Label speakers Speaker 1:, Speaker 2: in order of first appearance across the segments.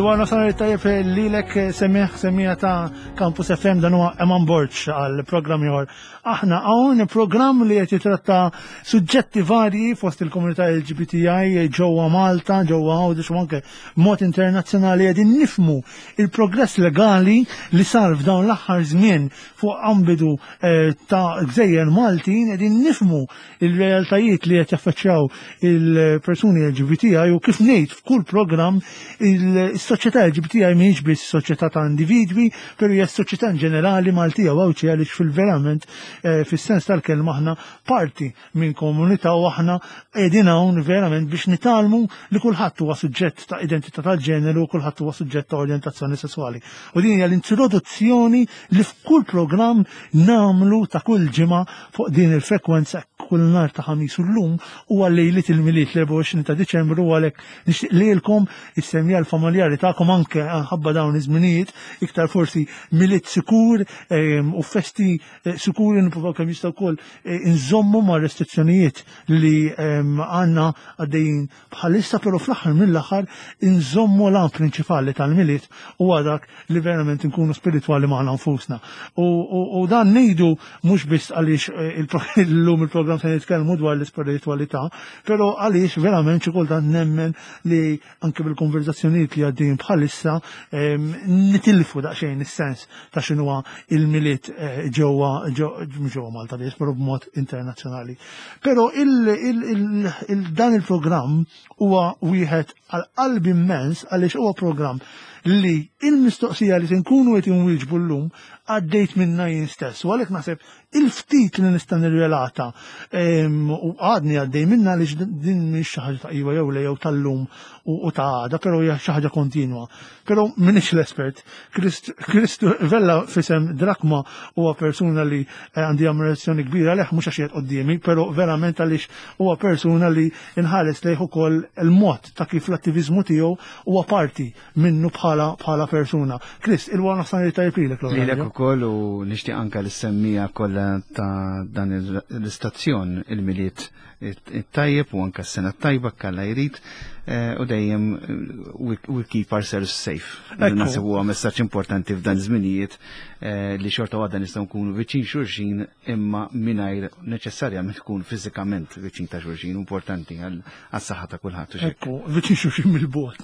Speaker 1: Il-wara nofsinhar tajjeb lilek semmiħ semmija ta' Campus FM dan huwa Eman Borg għal programm ieħor. Aħna hawn programm li qed jitratta suġġetti varji fost il-komunità LGBTI ġewwa Malta, ġewwa Għawdex u anke mod internazzjonali qegħdin nifmu il-progress legali li sar f'dawn l-aħħar żmien fuq ambidu eh, ta' gżejjer Maltin qegħdin nifmu il-realtajiet li qed jaffaċċjaw il-persuni LGBTI u kif ngħid f'kull programm il-soċjetà LGBTI mhijiex biss soċjetà ta' individwi, però hija soċjetà in ġenerali Maltija u Għawdxija għaliex fil-verament eh, fis-sens tal-kelma aħna parti minn komunità u aħna qegħdin hawn verament biex nitgħallmu li kulħadd huwa suġġett ta' identità tal-ġeneru u kulħadd huwa suġġett ta' orjentazzjoni sesswali. U din hija l-introduzzjoni li f'kull programm nagħmlu ta' kull ġimgħa fuq din il-frekwenza kull nhar ta' ħamis u llum huwa lejliet il-Milied l-24 ta' Diċembru u għalhekk nixtieq lilkom is-semja l-familjari tagħkom anke ħabba dawn iż-żminijiet iktar forsi Milied sikur ehm, u festi eh, sikuri nippruvaw kemm jista' wkoll eh, inżommu ma' restrizzjonijiet li ehm, għandna għaddejjin bħalissa però fl-aħħar mill-aħħar inżommu l-għan prinċipali tal-Milied huwa dak li verament inkunu spiritwali magħna nfusna. U dan ngħidu mhux biss għaliex eh, illum il-programm se nitkellmu dwar l-ispiritwalità, però għaliex verament xi kultant nemmen li anke bil-konverzazzjonijiet li għaddejjin bħalissa ehm, nitilfu daqsxejn is-sens ta' x'inhuwa il-Milied eh, ġewwa ġewwa Malta biss, però b'mod internazzjonali. Però dan il-programm huwa wieħed għal qalbi immens għaliex huwa programm li il-mistoqsija li se nkunu qed inwieġbu llum għaddejt minna jien stess. U għalhekk naħseb il-ftit li nista' nirrelata u għadni għaddej minna għaliex din mhix xi ħaġa ta' iva jew le jew tal-lum u ta' għada, però hija xi ħaġa kontinwa. Però m'iniex l-espert. Kristu Vella fisem Drakma huwa persuna li eh, għandi ammirazzjoni kbira leħ mhux għax qiegħed quddiemi, però verament għaliex huwa persuna li nħares lejh ukoll il-mod ta' kif l-attiviżmu tiegħu huwa parti minnu bħala bħala persuna. Chris, il-wara nofsan li tajjeb lilek
Speaker 2: l Lilek ukoll u nixtieq anke l-semmija kollha ta' dan l-istazzjon il-Milied it-tajjeb u anke s-sena tajba kalla jrid eh, u dejjem eh, we keep ourselves safe. Naħseb huwa messaġġ importanti f'dan iż-żminijiet eh, li xorta waħda nistgħu nkunu viċin xulxin imma mingħajr neċessarjament tkun fiżikament viċin ta' xulxin importanti għas-saħħa ta' kulħadd.
Speaker 1: Ekku, viċin xulxin mill-bogħod.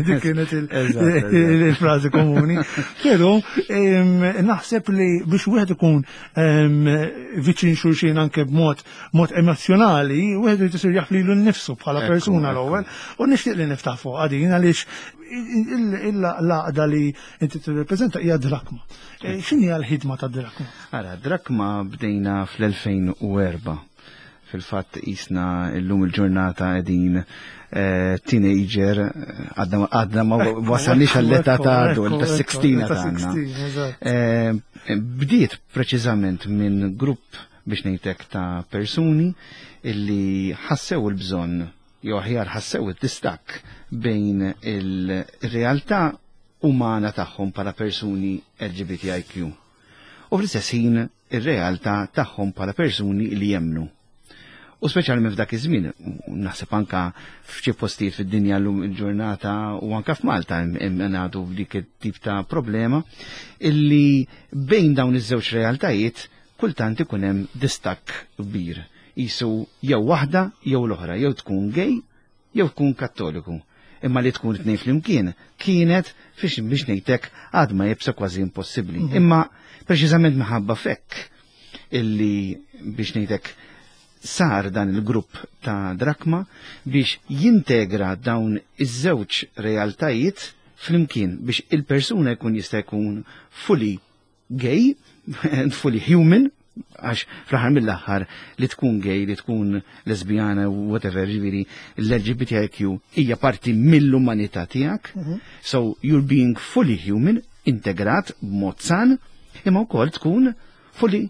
Speaker 1: Dik kienet il-frażi komuni. Però naħseb li biex wieħed ikun viċin xulxin anke b'mod mod emozjonali, wieħed irid isir jaf lilu nnifsu bħala persuna l-ewwel, u nixtieq li niftaħ fuq din għaliex l-għaqda li inti tirrepreżenta hija drakma. E, x'inhi l-ħidma ta' drakma?
Speaker 2: Ara, drakma bdejna fl-2004. Fil-fatt jisna illum il-ġurnata qegħdin eh, teenager għadna ma wasalniex għall-età ta' adult, ta' 16 tagħna. Eh, bdiet preċiżament minn grupp biex ngħidlek ta' persuni illi ħassew il-bżonn jew aħjar ħassew id-distakk bejn il-realtà umana tagħhom bħala persuni LGBTIQ u fl-istess ħin ir-realtà tagħhom bħala persuni li jemmnu. U speċjalment f'dak iż-żmien, naħseb anka f'xi postijiet fid-dinja llum il-ġurnata u anka f'Malta ngħadu f'dik it-tip ta' problema illi bejn dawn iż-żewġ realtajiet kultant ikun hemm distakk kbir. Qisu jew waħda jew l-oħra, jew tkun gay jew tkun kattoliku. Imma li tkun tnejn flimkien kienet fiex biex ngħidlek għadma jibsa kważi impossibbli. Mhm. Imma preċiżament minħabba fekk illi biex ngħidlek sar dan il-grupp ta' Drakma biex jintegra dawn iż-żewġ realtajiet flimkien biex il-persuna jkun jista' jkun fully gay, fully human, għax fl-aħħar mill-aħħar li tkun gay, li tkun lesbjana, whatever, ġifieri l-LGBTIQ hija parti mill-umanità tiegħek. Mhm. So you're being fully human, integrat b'mod san, imma wkoll tkun fully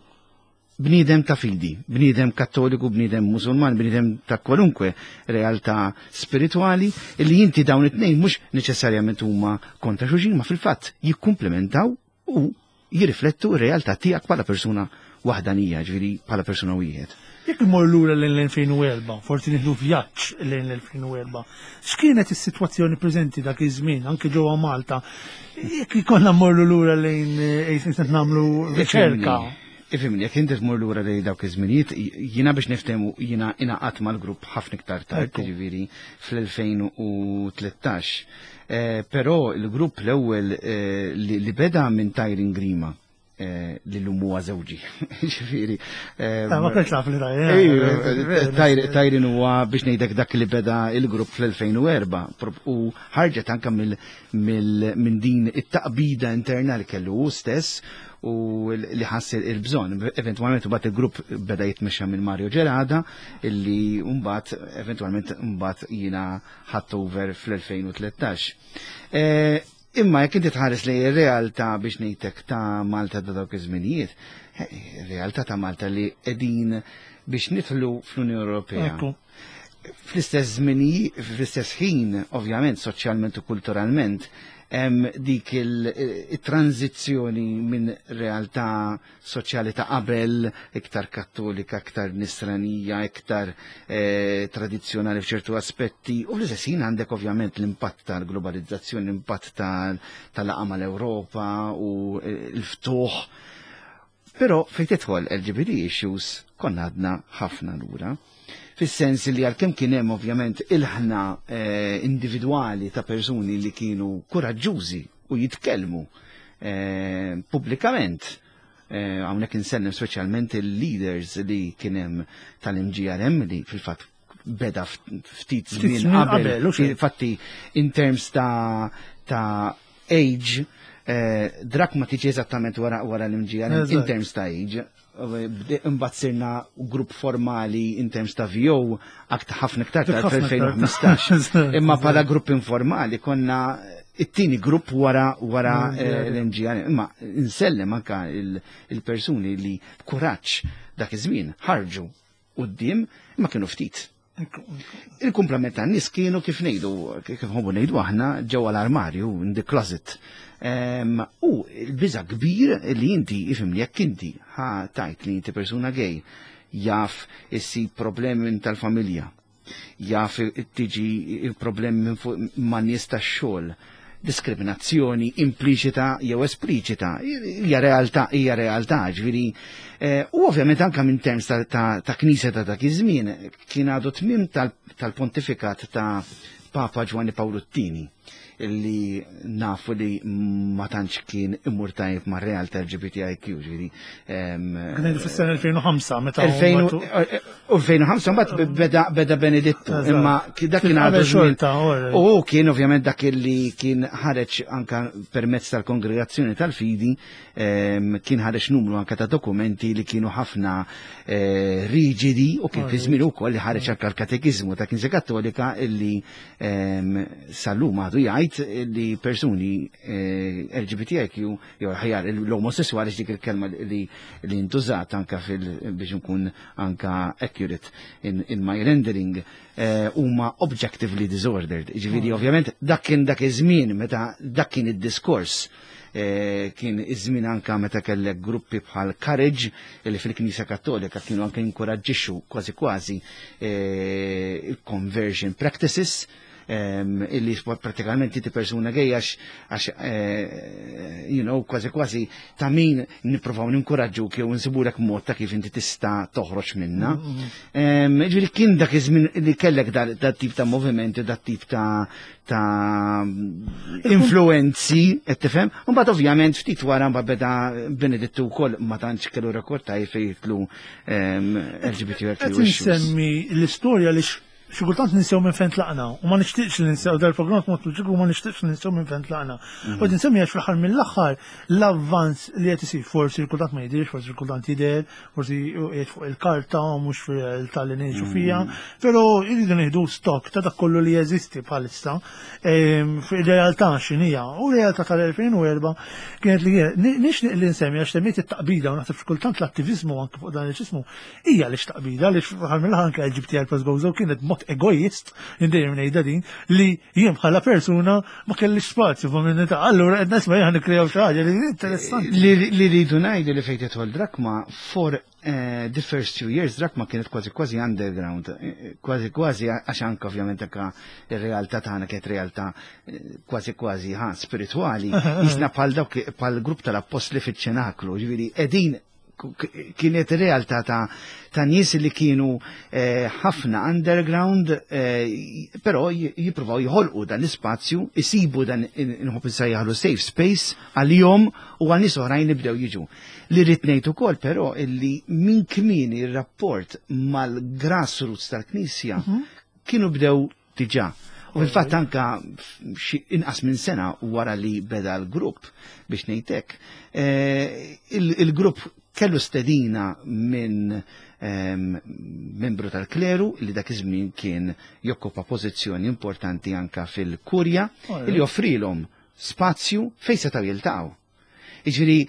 Speaker 2: bniedem ta' fidi, bniedem kattoliku, bniedem musulman, bniedem ta' kwalunkwe realtà spiritwali, li inti dawn it-tnejn mhux neċessarjament huma kontra xulxin, ma fil-fatt jikkumplementaw u jirriflettu r-realtà tiegħek bħala persuna waħdanija, ġifieri bħala persuna wieħed.
Speaker 1: Jekk immur lura lejn l-2004, forsi nieħdu vjaġġ lejn l-2004, x'kienet is-sitwazzjoni preżenti dak iż-żmien anke ġewwa Malta? Jekk ikollna mmorru lura lejn qed nagħmlu riċerka.
Speaker 2: Ifhimni, jekk inti tmur lura lejn dawk iż-żminijiet, jiena biex niftehmu jiena ingħaqadt mal-grupp ħafna iktar tard, jiġifieri fl-2013. Però l-grupp l-ewwel li beda minn Tyrin Grima, li l-lum huwa żewġi. Ġifieri.
Speaker 1: Ma kienx naf li Tyrin.
Speaker 2: Tyrin huwa biex ngħidlek dak li beda il-grupp fl-2004 u ħarġet anke minn din it-taqbida interna li kellu hu stess u li ħass il-bżonn. Eventwalment mbagħad il-grupp beda jitmexxa minn Mario Gerada illi mbagħad eventwalment mbagħad jiena ħadt over fl-2013. Imma jekk inti tħares lejn ir-realtà biex ngħidlek ta' Malta ta' dawk iż-żminijiet, ir-realtà ta' Malta li qegħdin biex nidħlu fl-Unjoni Ewropea. Fl-istess żmini, fl-istess ħin, ovvjament, soċjalment u kulturalment, hemm dik il-tranzizzjoni minn realtà soċjali ta' qabel, iktar kattolika, iktar nisranija, iktar tradizzjonali f'ċertu aspetti, u fl-istess ħin għandek ovvjament l-impatt tal-globalizzazzjoni, l-impatt tal-laqgħa mal-Ewropa u l-ftuħ. Però fejn tidħol LGBT issues konna għadna ħafna lura. Fis-sens li għalkemm kien hemm ovvjament ilħna individwali ta' persuni li kienu kuraġġużi u jitkellmu pubblikament. Hawnhekk insellem speċjalment il-leaders li kien hemm tal-MGRM li fil-fatt beda ftit żmien qabel. Infatti in terms ta' age, Drak ma tiġi eżattament wara l-MGRM in terms ta' age. Imbagħad sirna grupp formali in terms ta' VO aktar ħafna iktar tal-2015. Imma bħala grupp informali konna it-tieni grupp wara l-MGR. Imma insellem anka il-persuni li b'kuraġġ dak iż-żmien ħarġu quddiem imma kienu ftit. Il-kumplament tan-nies kienu kif ngħidu, kif nħobbu ngħidu aħna ġewwa l-armarju, in the closet. U l-biża' kbir li inti ifhimni jekk inti ħa tajt li inti persuna gay, jaf issib problemi minn tal-familja, jaf tiġi problemi minn fuq ma' nies tax-xogħol, diskriminazzjoni impliċita jew espliċita, hija realtà, hija realtà, ġifieri, u ovvjament anka minn terms ta' knisja ta' dak iż-żmien kien għadu tmiem tal-pontifikat ta' Papa Ġwanni Pawlu t-Tieni, illi nafu li ma tantx kien imur tajjeb ma' realtà LGBTIQ, ġifieri.
Speaker 1: Kien fis-sena 2005 meta
Speaker 2: 2005 mbagħad beda Benedittu, imma dak kien għadu żmien. U kien ovvjament dak li kien ħareġ anka permezz tal-Kongregazzjoni tal-Fidi, kien ħareġ numru anka ta' dokumenti li kienu ħafna riġidi u kien fi żmien ukoll li ħareġ anka l-Katekiżmu ta' Knisja Kattolika illi sal-lum għadu jgħid li persuni LGBTIQ jew aħjar l-omosessuali, dik il-kelma li ntużat anka biex nkun anka accurate in my rendering, huma objectively disordered. Ġifieri ovvjament dak kien dak iż-żmien meta dak kien id-diskors. Kien iż-żmien anka meta kellek gruppi bħal Courage li fil-Knisja Kattolika kienu anke jinkoraġġixxu kważi kważi il-conversion practices, illi pratikament inti persuna gay għax kważi kważi ta' min nippruvaw ninkoraġġu jew insibulek mod ta' kif inti tista' toħroġ minna. Ġifieri kien dak iż-żmien li kellek dat tip ta' movimenti, dat tip ta' influenzi, qed tifhem? U mbagħad ovvjament ftit wara mbagħad beda Benedittu wkoll ma tantx kellu rekord ta' fejn jitlu LGBTQ
Speaker 1: Qed
Speaker 2: issues.
Speaker 1: insemmi l-istorja li xi kultant ninsew minn fejn tlaqna u ma nixtieqx li ninsew dal-programm mod loġiku ma nixtieqx li ninsew minn fejn tlaqna. U qed insemmi għax fl-aħħar mill-aħħar l-avvanz li qed isir forsi kultant ma jidhirx, forsi kultant jidher, forsi qiegħed fuq il-karta u mhux fir-realtà li ngħixu fiha, però jridu nieħdu stock ta' dak kollu li jeżisti bħalissa fir-realtà x'inhija. U r-realtà tal-2004 kienet li nixtieq li nsemmi għax semmiet it-taqbida u naħseb xi kultant l-attiviżmu anke fuq dan il-ġismu hija li x'taqbida li fl-aħħar mill-aħħar anke LGBTI plus Gozo kienet mod b'mod egoist, dejjem ngħidha din, li jien bħala persuna ma kellix spazju f'komunità. Allura qed nisma' jien nikkrejaw xi ħaġa li interessanti.
Speaker 2: Li rridu ngħidu li fejn tidħol Drakma for the first few years Drakma kienet kważi kważi underground, kważi kważi għax anke ovvjament anke ir-realtà tagħna kienet realtà kważi kważi ħa spiritwali, jisna bħal dawk bħal grupp tal-appostli fiċ-ċenaklu, ġifieri qegħdin kienet realtà ta' nies li kienu ħafna underground, però jippruvaw jħolqu dan l-ispazju, isibu dan inħobb insejjaħlu safe space għalihom u għal nies oħrajn li bdew jiġu. Li rrid ngħid ukoll però illi minn kmieni ir-rapport mal-grassroots tal-Knisja kienu bdew diġà. U fil-fatt anka inqas minn sena wara li beda l-grupp biex ngħidlek, il-grupp kellu stedina minn membru tal-kleru li dak iż-żmien kien jokkupa pożizzjoni importanti anka fil-kurja li offrilhom spazju fejn setgħu jiltaqgħu. Jiġifieri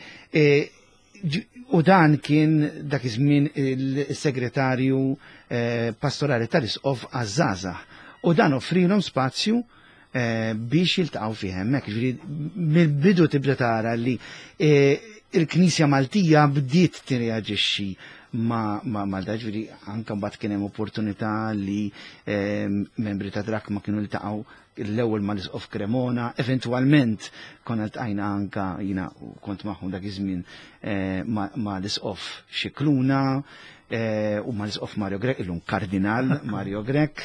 Speaker 2: u dan kien dak iż-żmien il-segretarju pastorali tal-Isqof għaż-żgħażagħ. U dan offrilhom spazju biex jiltaqgħu fih hemmhekk. Ġifieri mill-bidu tibda tara li il-Knisja Maltija bdiet tirreaġixxi ma' da, ġifieri anke mbagħad kien hemm opportunità li membri ta' Drakma kienu ltaqgħu l-ewwel mal-Isqof Cremona, eventwalment konna ltqajna anka jiena kont magħhom dak iż-żmien mal-Isqof Scicluna u mal-Isqof Mario Grech, illum Kardinal Mario Grech.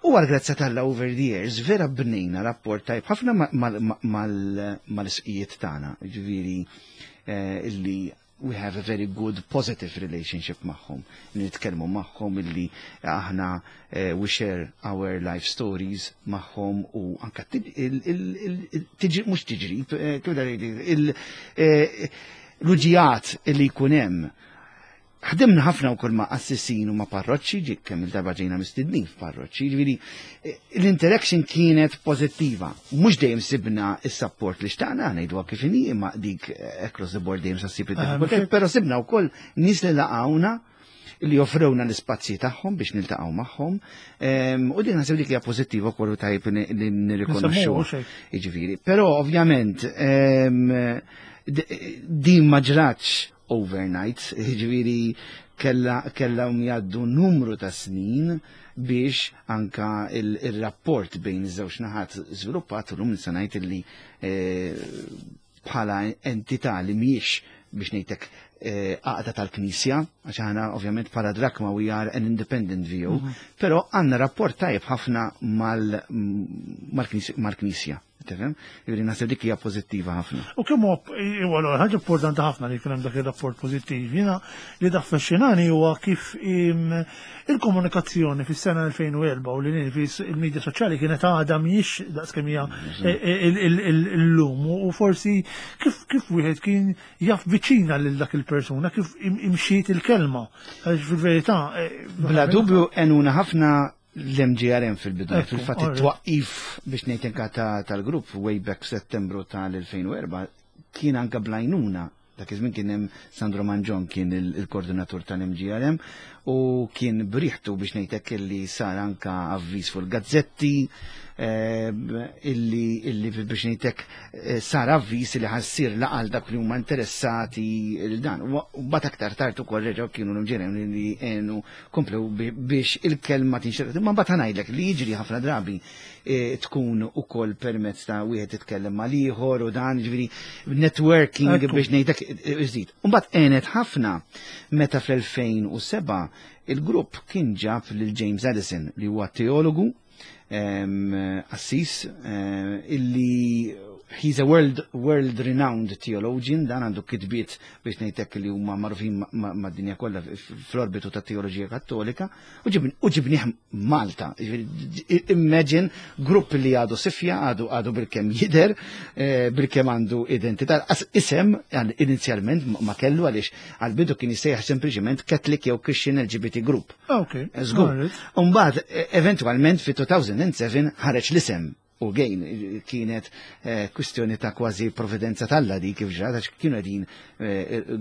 Speaker 2: U għal grazzja t'Alla over the years vera bnejna rapport tajb ħafna mal-isqijiet tagħna, ġifieri illi we have a very good positive relationship magħhom. Nitkellmu magħhom illi aħna we share our life stories magħhom u anka tiġi mhux tiġri, l-uġigħat illi jkun hemm. Ħdimna ħafna wkoll ma' qassisin u ma' parroċċi, ġi kemm il-darba ġejna mistednin f'parroċċi, ġifieri l-interaction kienet pożittiva. Mhux dejjem sibna s-support li xtaqna, ngħiduha kif inhi, imma dik across the board dejjem sa ssib id-diffikultajiet, però sibna wkoll nies li laqgħuna li offrewna l-ispazji tagħhom biex niltaqgħu magħhom. U din naħseb dik hija pożittiva wkoll u tajjeb li nirrikonoxxu. Jiġifieri, però ovvjament din ma ġratx overnight, ġifieri kella jgħaddu numru ta' snin biex anka il-rapport bejn iż-żewġ naħat żviluppat u llum nista' ngħid illi bħala entità li mhijiex biex ngħidlek għaqda tal-Knisja, għax aħna ovvjament bħala Drakma we are an independent view, però għandna rapport tajjeb ħafna mal-Knisja. Tifhem? Jiġifieri naħseb dik hija pożittiva ħafna.
Speaker 1: U kemm huwa ħaġa importanti ħafna li jkun hemm dak ir-rapport pożittiv. Jiena li taffaxxinani huwa kif il-komunikazzjoni fis-sena 2004 u li il-medja soċjali kienet għadha mhijiex daqskemm hija llum u forsi kif wieħed kien jaf viċina lil dak il-persuna, kif imxiet il-kelma. Għaliex fil-verità.
Speaker 2: Bla dubju għenuna ħafna l-MGRM fil-bidu. Fil-fatt it-twaqqif biex ngħid tal-grupp way back f'Settembru tal-2004 kien anka bl-għajnuna. Dak iż-żmien kien hemm Sandro Mangion, kien il-koordinatur tal-MGRM u kien briħtu biex ngħidlek illi sar anka avviż fuq il-gazzetti illi biex ngħidlek sar avviż li ħa ssir laqgħa għal dak li huma interessati il dan. U mbagħad aktar tard ukoll reġgħu kienu l-MGRM li għenu komplew biex il-kelma tinxtered. Ma mbagħad ngħidlek li jiġri ħafna drabi tkun ukoll permezz ta' wieħed titkellem mal-ieħor u dan, ġifieri networking biex ngħidlek iżid. U mbagħad għenet ħafna meta fl-2007 il-grupp kien ġab lil James Addison li huwa teologu assis illi he's a world renowned theologian, dan għandu kitbiet biex ngħidlek li huma magħrufin mad-dinja kollha fl-orbitu ta' teoloġija kattolika, u ġibnieh Malta. Imagine grupp li għadu sifja, għadu bil-kemm jidher, bil-kemm għandu identità. Isem, inizjalment ma kellu għaliex għal-bidu kien jissejjaħ sempliċement Catholic jew Christian LGBT Group. Żgur. Umbagħad, eventualment fi 2007 ħareġ l-isem. U gejn kienet kwistjoni ta' kważi providenza t'Alla di kif ġrat, għax kienu qegħdin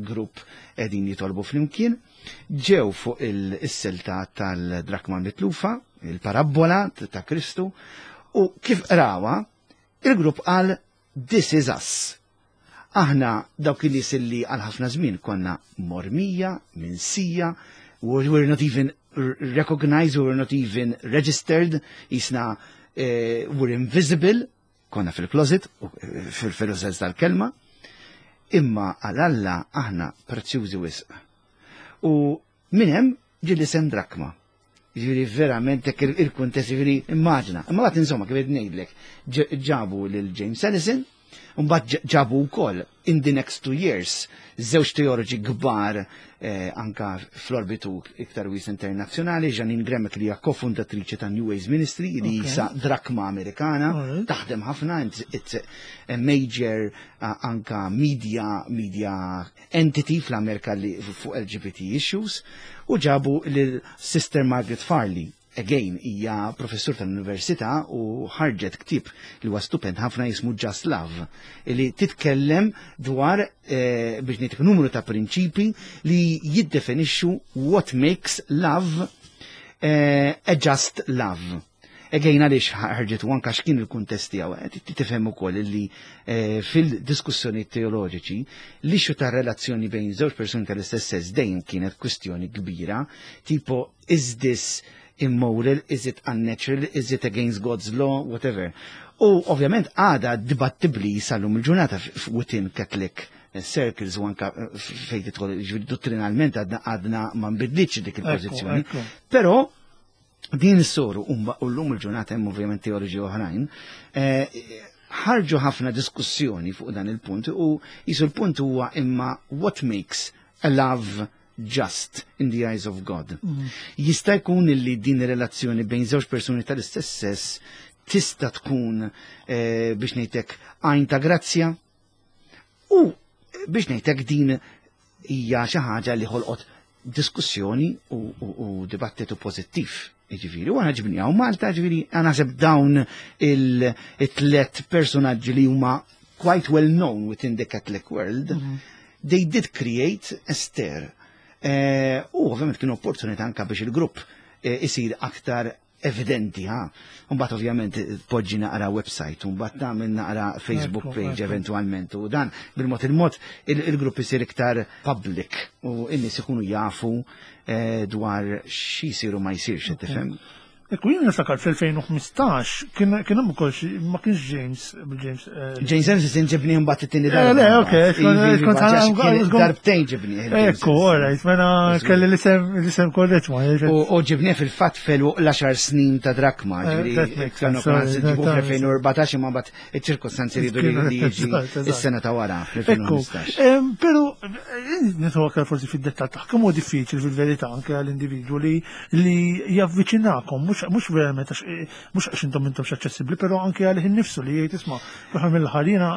Speaker 2: grupp qegħdin jitolbu flimkien, ġew fuq is-silta tal-drakma mitlufa, il-parabbola ta' Kristu, u kif qrawha, il-grupp qal "This is us." Aħna dawk in-nies li għal ħafna żmien konna mormija, minsija, we were not even recognized, we were not even registered, jisna we're invisible, konna fil-closet, fil-sens tal-kelma, imma għal Alla aħna prezzjużi wisq. U minn hemm ġie l-isem Drakma. Ġifieri verament hekk il-kuntest, ġifieri immaġna. Imma mbagħad insomma kif qed ngħidlek, ġabu lil James Ellison, mbagħad ġabu wkoll in the next 2 years żewġ teoloġi kbar anka fl-orbitu iktar wies internazzjonali, Jeannine Gramick li hija kofundatriċi ta' New Ways Ministry, li hija Drakma Amerikana, taħdem ħafna, it's a major anka media entity fl-Amerika li fuq LGBT issues, u ġabu lil Sister Margaret Farley. Again, hija professur tal-università u ħarġet ktieb li huwa stupend ħafna jismu Just Love, li titkellem dwar biex ngħid numru ta' prinċipi li jiddefinixxu what makes love a just love. Again, għaliex ħarġet u anka x'kien il-kuntest tiegħu, tifhem ukoll li fil-diskussjoni teoloġiċi l-issue ta' relazzjoni bejn żewġ persuni tal-istess sess dejjem kienet kwistjoni kbira, tipo is this immoral, is it unnatural, is it against God's law, whatever. U ovvjament għada dibattibli sal-lum il-ġurnata within Catholic circles u anka fejn tidħol dottrinalment għadna ma nbidlitx dik il-pożizzjoni. Però din is-soru u llum il-ġurnata hemm ovvjament teoloġi oħrajn, ħarġu ħafna diskussjoni fuq dan il-punt u jisu l-punt huwa imma what makes a love just in the eyes of God. Jista' jkun li din ir-relazzjoni bejn żewġ persuni tal-istess sess tista' tkun biex ngħidlek għajn ta' grazzja u biex ngħidlek din hija xi ħaġa li ħolqot diskussjoni u dibattitu pożittiv. Ġifieri, u aħna ġibniha Malta, ġifieri, għana naħseb dawn il-tlet personaġġi li huma quite well known within the Catholic world, they did create a stir. U ovvjament kien opportunità anka biex il-grupp isir aktar evidenti, ha. Mbagħad ovvjament poġġi naqra website, mbagħad tagħmel naqra Facebook page eventualment u dan bil-mod il-mod il-grupp isir iktar public u n-nies ikunu jafu dwar xi jsiru ma jsirx, tifhem.
Speaker 1: Ekku, jien niftakar fl-2015 kien hemm ukoll ma kienx James James.
Speaker 2: James Ellison ġibni mbagħad it-tieni darba.
Speaker 1: Le, ok,
Speaker 2: kont darbtejn ġibni.
Speaker 1: Ekku, alright, mela kelli l-isem korrett ma.
Speaker 2: U ġibni fil-fatt fil l-10 snin ta' Drakma, ġifieri kienu ġibu fl-2014 imma mbagħad iċ-ċirkostanzi ridu li jiġi is-sena ta' wara fl-2015.
Speaker 1: Però nidħol aktar forsi fid-dettall ta' kemm huwa diffiċli fil-verità anke għall-individwu li javviċinakom, mhux verament għax mhux għax intom intom aċċessibbli, però anke għalih innifsu li jgħid, "Isma', fl-aħħar mill-aħħar jiena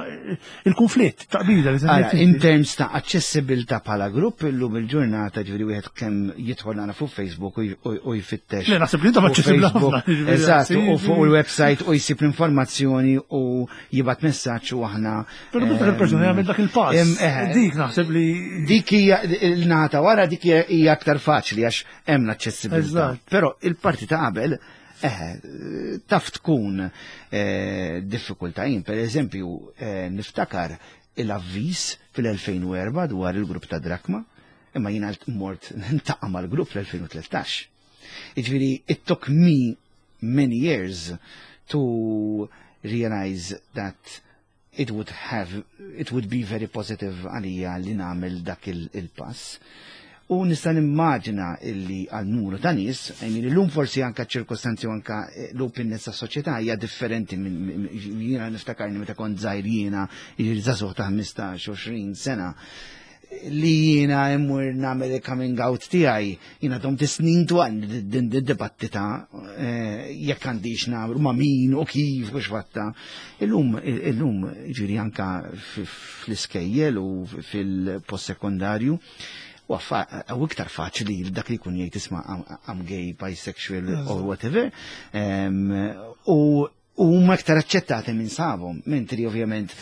Speaker 1: il-konflitt taqbida li
Speaker 2: Ara, in terms ta' aċċessibilità bħala grupp illum il-ġurnata, ġifieri wieħed kemm jidħol nara fuq Facebook u jfittex.
Speaker 1: Le, naħseb li intom
Speaker 2: fuq
Speaker 1: aċċessibbli
Speaker 2: Facebook,
Speaker 1: ħafna, ġifieri,
Speaker 2: Eżatt, u fuq il-website u jsib l-informazzjoni u jibgħat messaġġ u aħna.
Speaker 1: Però meta il-persuna jagħmel dak il-pass, dik naħseb li
Speaker 2: Dik hija il-nata wara, dik hija aktar faċli għax hemm l-aċċessibilità. Però il-parti ta' qabel taf tkun diffikultà. Jien, per eżempju, niftakar il-avviż fil-2004 dwar il-grupp ta' Drakma, imma jiena mort niltaqa' mal-grupp fl-2013. Jiġifieri, it took me many years to realize that it would be very positive għalija li nagħmel dak il-pass. U nista' nimmaġina illi għal numru ta' nies, I mean, illum forsi anka ċirkostanzi u anka l-openness ta' soċjetà hija differenti minn jiena niftakarni meta kont żgħir jiena, jiġifieri żagħżugħ ta' 15-20 sena, li jiena immur nagħmel il-coming out tiegħi, jiena domt snin twal din dibattita jekk għandix nagħmlu, ma' min u kif u x'fatta. Illum ġifieri anka fl-iskejjel u fil-post sekondarju, u iktar faċli li dak li jkun jgħid, "Isma', I'm gay, bisexual or whatever." U U huma iktar aċċettati minn sabhom, mentri ovvjament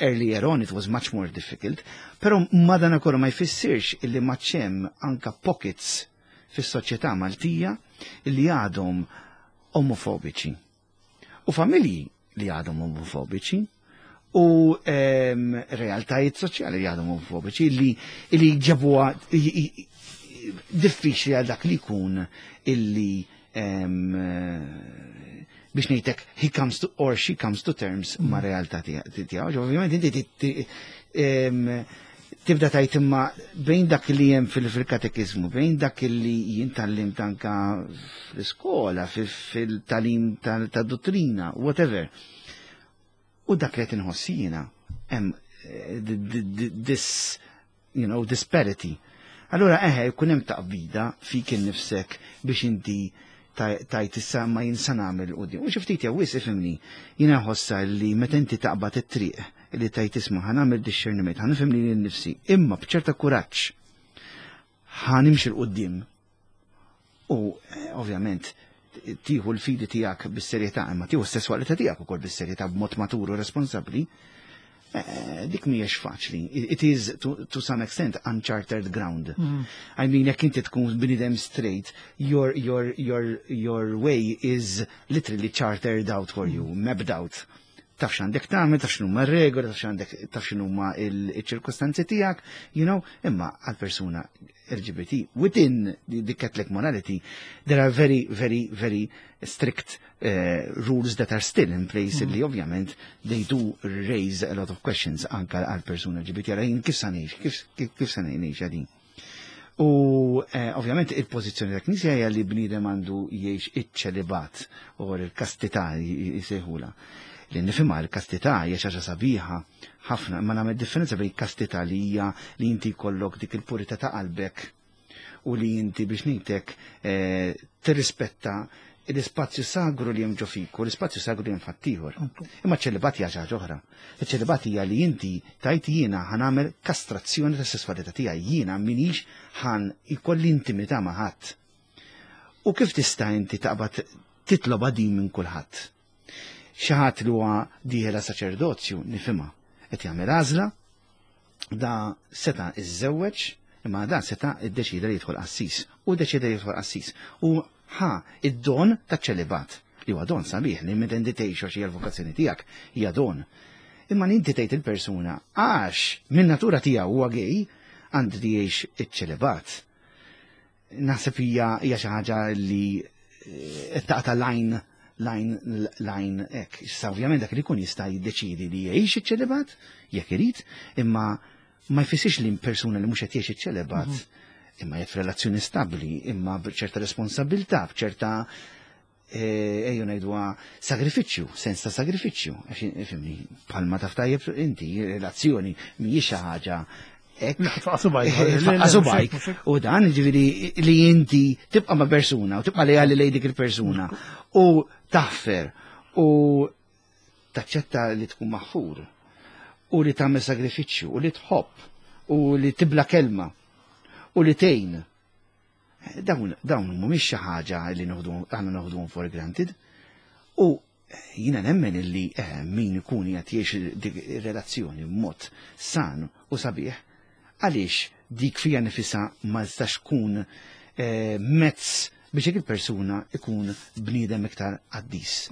Speaker 2: earlier on it was much more difficult, però madanakollu ma jfissirx illi ma hemm anka pockets fis-soċjetà Maltija illi għadhom omofobiċi. U familji li għadhom omofobiċi u realtajiet soċjali li għadhom omofobiċi li ġabuha diffiċli għal dak li jkun illi biex ngħidlek he comes to or she comes to terms ma' realtà tiegħu. Ovvjament inti tibda tajt imma bejn dak li hemm fil-katekizmu, bejn dak li jien tgħallimt anka fl-iskola, fil-tagħlim tad-dottrina, whatever. U dak li qed inħoss jiena hemm this disparity. Allura eħe, jkun hemm taqbida fik innifsek biex inti tajt issa ma jien sa nagħmel quddiem. U xi ftit jew wisq ifhimni, jiena nħossha li meta inti taqbad it-triq li tajt isma' ħa nagħmel discerniment, ħa nifhem lili nnifsi, imma b'ċerta kuraġġ ħa nimxi 'l quddiem. U ovvjament tieħu l-fidi tiegħek bis-serjetà, imma tieħu s-sesswalità tiegħek ukoll bis-serjetà b'mod matur u responsabbli, dik mhijiex faċli. It is to some extent uncharted ground. I mean, jekk inti tkun bniedem straight, your way is literally chartered out for you, mapped out. Taf x'għandek tagħmel, taf x'inhuma r-regoli, taf x'għandek, taf x'inhuma il-ċirkostanzi tiegħek, imma għal persuna LGBT within the Catholic morality, there are very, very, very strict rules that are still in place li ovvjament they do raise a lot of questions anka għal persuna LGBT. Għara jien kif sa ngħix, kif sa ngħix għadin. U ovvjament il-pożizzjoni ta' Knisja hija li bniedem għandu jgħix iċ-ċelibat u l-kastità jsejħula. Li nifhimha l-kastità hija xi ħaġa sabiħa ħafna, imma nagħmel differenza bejn kastità li hija li inti jkollok dik il-purità ta' qalbek u li inti biex ngħidlek tirrispetta l-ispazju sagru li hemm ġo fik u l-ispazju sagru li hemm f'ħaddieħor. Imma ċ-ċelibat hija xi ħaġa oħra. Iċ-ċelibat hija li inti tajt jiena ħa nagħmel kastrazzjoni tas-sesswalità tiegħi, jiena minix ħan ikolli intimità ma' ħadd. U kif tista' inti taqbad titloba din minn kulħadd? Xi ħadd li huwa dieħel saċerdozju nifhimha, qed jagħmel għażla, da seta' iżżewweġ, imma da seta' iddeċida li jidħol qassis, u ddeċida li jidħol qassis. U ħa id-don taċ-ċelibat, li huwa don sabiħ li meta inti tgħix għax hija l-vokazzjoni tiegħek, hija don. Imma li inti tgħid il-persuna għax minn natura tiegħu huwa gay, għandu li jgħix iċ-ċelibat. Naħseb hija xi ħaġa li taqta' line line line hekk. Issa ovvjament dak li jkun jista' jiddeċidi li jgħix iċ-ċelibat jekk irid, imma ma jfissirx li persuna li mhux qed jgħix iċ-ċelibat imma jgħid f'relazzjoni stabbli, imma b'ċerta responsabilità, b'ċerta ejju ngħidwa sagrifiċċju, sens ta' sagrifiċċju, għax ifhimni, bħalma taf tajjeb inti, relazzjoni mhijiex xi ħaġa hekk.
Speaker 1: Tfaqsu bajk.
Speaker 2: Tfaqsu bajk. U dan ġifieri li inti tibqa' ma' persuna u tibqa' lejali lejn dik il-persuna u taħfer u taċċetta li tkun maħfur u li tagħmel sagrifiċċju u li tħobb u li tibla kelma u li tgħin. Dawn mhumiex xi ħaġa li aħna noħduhom for granted. U jiena nemmen illi min ikun qed jgħix dik ir-relazzjoni b'mod san u sabiħ, għaliex dik fija nifisha ma tistax tkun mezz biex dik il-persuna ikun bniedem iktar qaddis.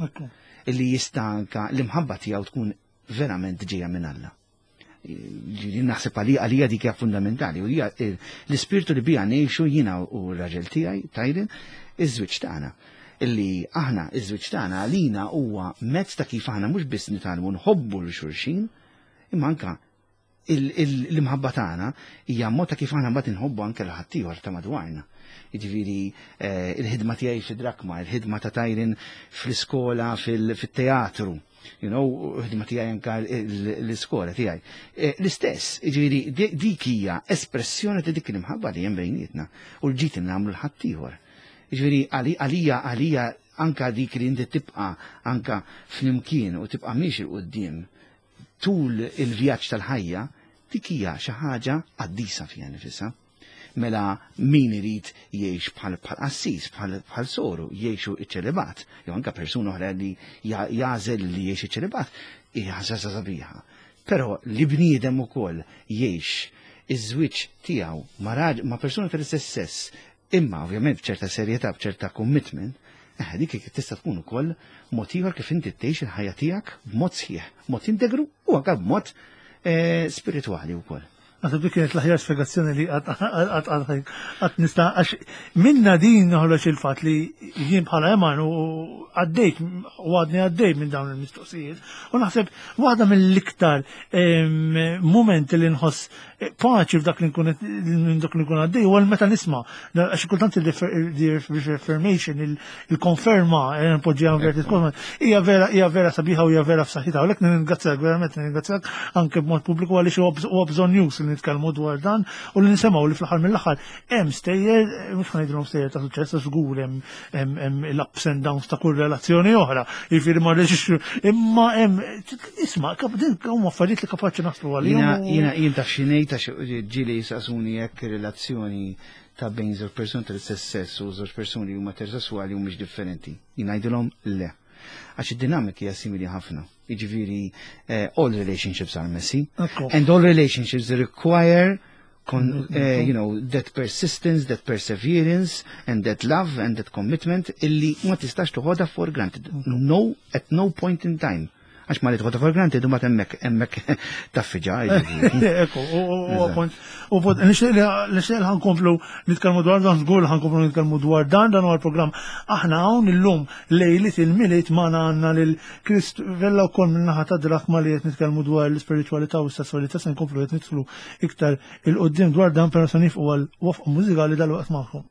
Speaker 2: Illi jista' anka l-imħabba tiegħu tkun verament ġejja minn Alla. Ġifieri naħseb għalija dik hija fundamentali u hija l-ispirtu li bija ngħixu jiena u r-raġel tiegħi Tyron iż-żwieġ tagħna. Illi aħna iż-żwieġ tagħna għalina huwa mezz ta' kif aħna mhux biss nitgħallmu nħobbu lil xulxin, imma anka l-imħabba tagħna hija mod ta' kif aħna mbagħad inħobbu anke lil ħaddieħor ta' madwarna. Jiġifieri il-ħidma tiegħi fid-Drakma, il-ħidma ta' Tyron fl-iskola, fil-teatru, ħidma tiegħi anke l-iskola tiegħi. L-istess, jiġifieri dik hija espressjoni ta' dik l-imħabba li hemm bejnietna u l-ġid li nagħmlu l-ħaddieħor. Jiġifieri għalija anka dik li inti tibqa' anka flimkien u tibqa' miex 'il quddiem tul il-vjaġġ tal-ħajja, dik hija xi ħaġa qaddisa fiha nifisha. Mela min irid jgħix bħal qassis, bħal soru, jgħixu iċ-ċelibat, jew anke persuna oħra li jagħżel li jgħix iċ-ċelibat, hija ħaġa sabiħa. Però li bniedem ukoll jgħix iż-żwieġ tiegħu ma' persuna tal-istess sess, imma ovvjament b'ċerta serjetà, b'ċerta commitment, dik tista' tkun ukoll mod ieħor kif inti tgħix il-ħajja tiegħek b'mod sħiħ, mod integru u anke b'mod spiritwali wkoll.
Speaker 1: Naħseb dik kienet l-aħjar spjegazzjoni li qatt nista' għax minna din noħroġ il-fatt li jien bħala Eman u għaddejt u għadni għaddej minn dawn il-mistoqsijiet. U naħseb waħda mill-iktar momenti li nħoss paċi f'dak li nkun minn dak li nkun għaddej huwa meta nisma' għax kultant il-reaffirmation, il-konferma, npoġġiha inverted commas, hija vera sabiħa u hija vera f'saħħitha. U lek nirringrazzjak, verament nirringrazzjak anke b'mod pubbliku għaliex huwa bżonn news li nitkellmu dwar dan u li nisimgħu li fl-aħħar mill-aħħar hemm stejjer, mhux ħa ngħidilhom stejjer ta' suċċess, għax żgur hemm l-ups and downs ta' kull relazzjoni oħra. Jiġifieri ma rridx imma hemm isma' din huma affarijiet li kapaċi naslu għalihom.
Speaker 2: Jiena jien taf xi ngħid għax ġieli jisaqsuni jekk relazzjoni ta' bejn żewġ persuni tal-istess sess u żewġ persuni huma eterosessuali humiex differenti. Jien ngħidilhom le. Għax id-dinamika hija simili ħafna. Jiġifieri all relationships are messy. And all relationships require that persistence, that perseverance, and that love and that commitment illi ma tistax toħodha for granted. No, at no point in time. Għax ma li toħodha for granted u ma temmek taffiġa.
Speaker 1: Ekku, u punt, u punt, nixtieq li ħa nkomplu nitkellmu dwar dan, żgur ħa nkomplu nitkellmu dwar dan, dan huwa l-programm. Aħna hawn illum lejliet il-Milied magħna għandna lil Chris Vella wkoll min-naħa ta' Drakma li qed nitkellmu dwar l-ispiritualità u s-sessualità, se nkomplu qed nidħlu iktar il-qudiem dwar dan, però se nifqu għal waqfa mużikali dal-waqt magħhom.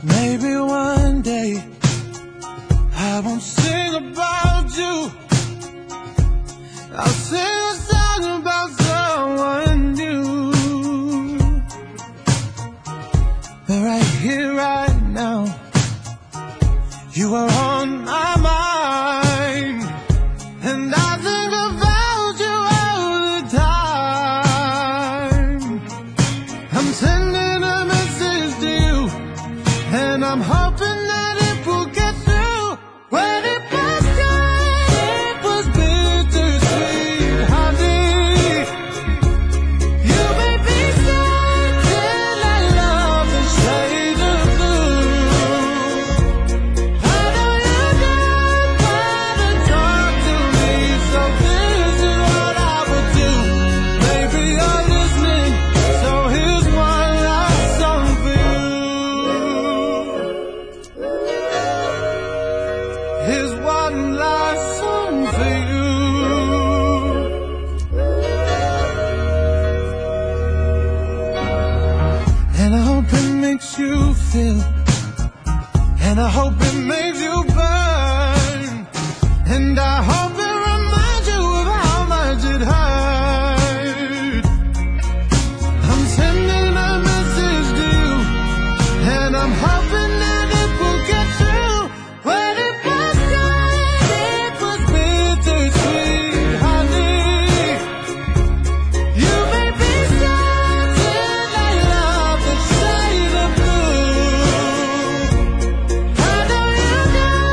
Speaker 3: Maybe one day I won't sing about you. I'll sing a song about someone new. But right here, right now, you are on my mind, and I think about you all the time. I'm sending a message to you, and I'm hoping that it will get through. When it was good, it was bittersweet, honey. You may be certain I love the shade of blue. I know you don't wanna talk to me, so this is what I would do. Maybe you're listening, so here's one last song for you. Here's one last song for you. And I hope it makes you feel, and I hope it makes you burn, and I hope it reminds you of how much it hurt. I'm sending a message to you, and I'm hoping that it will get through. When it was good, it was bittersweet, honey. You may be certain I love the shade of blue. I know you don't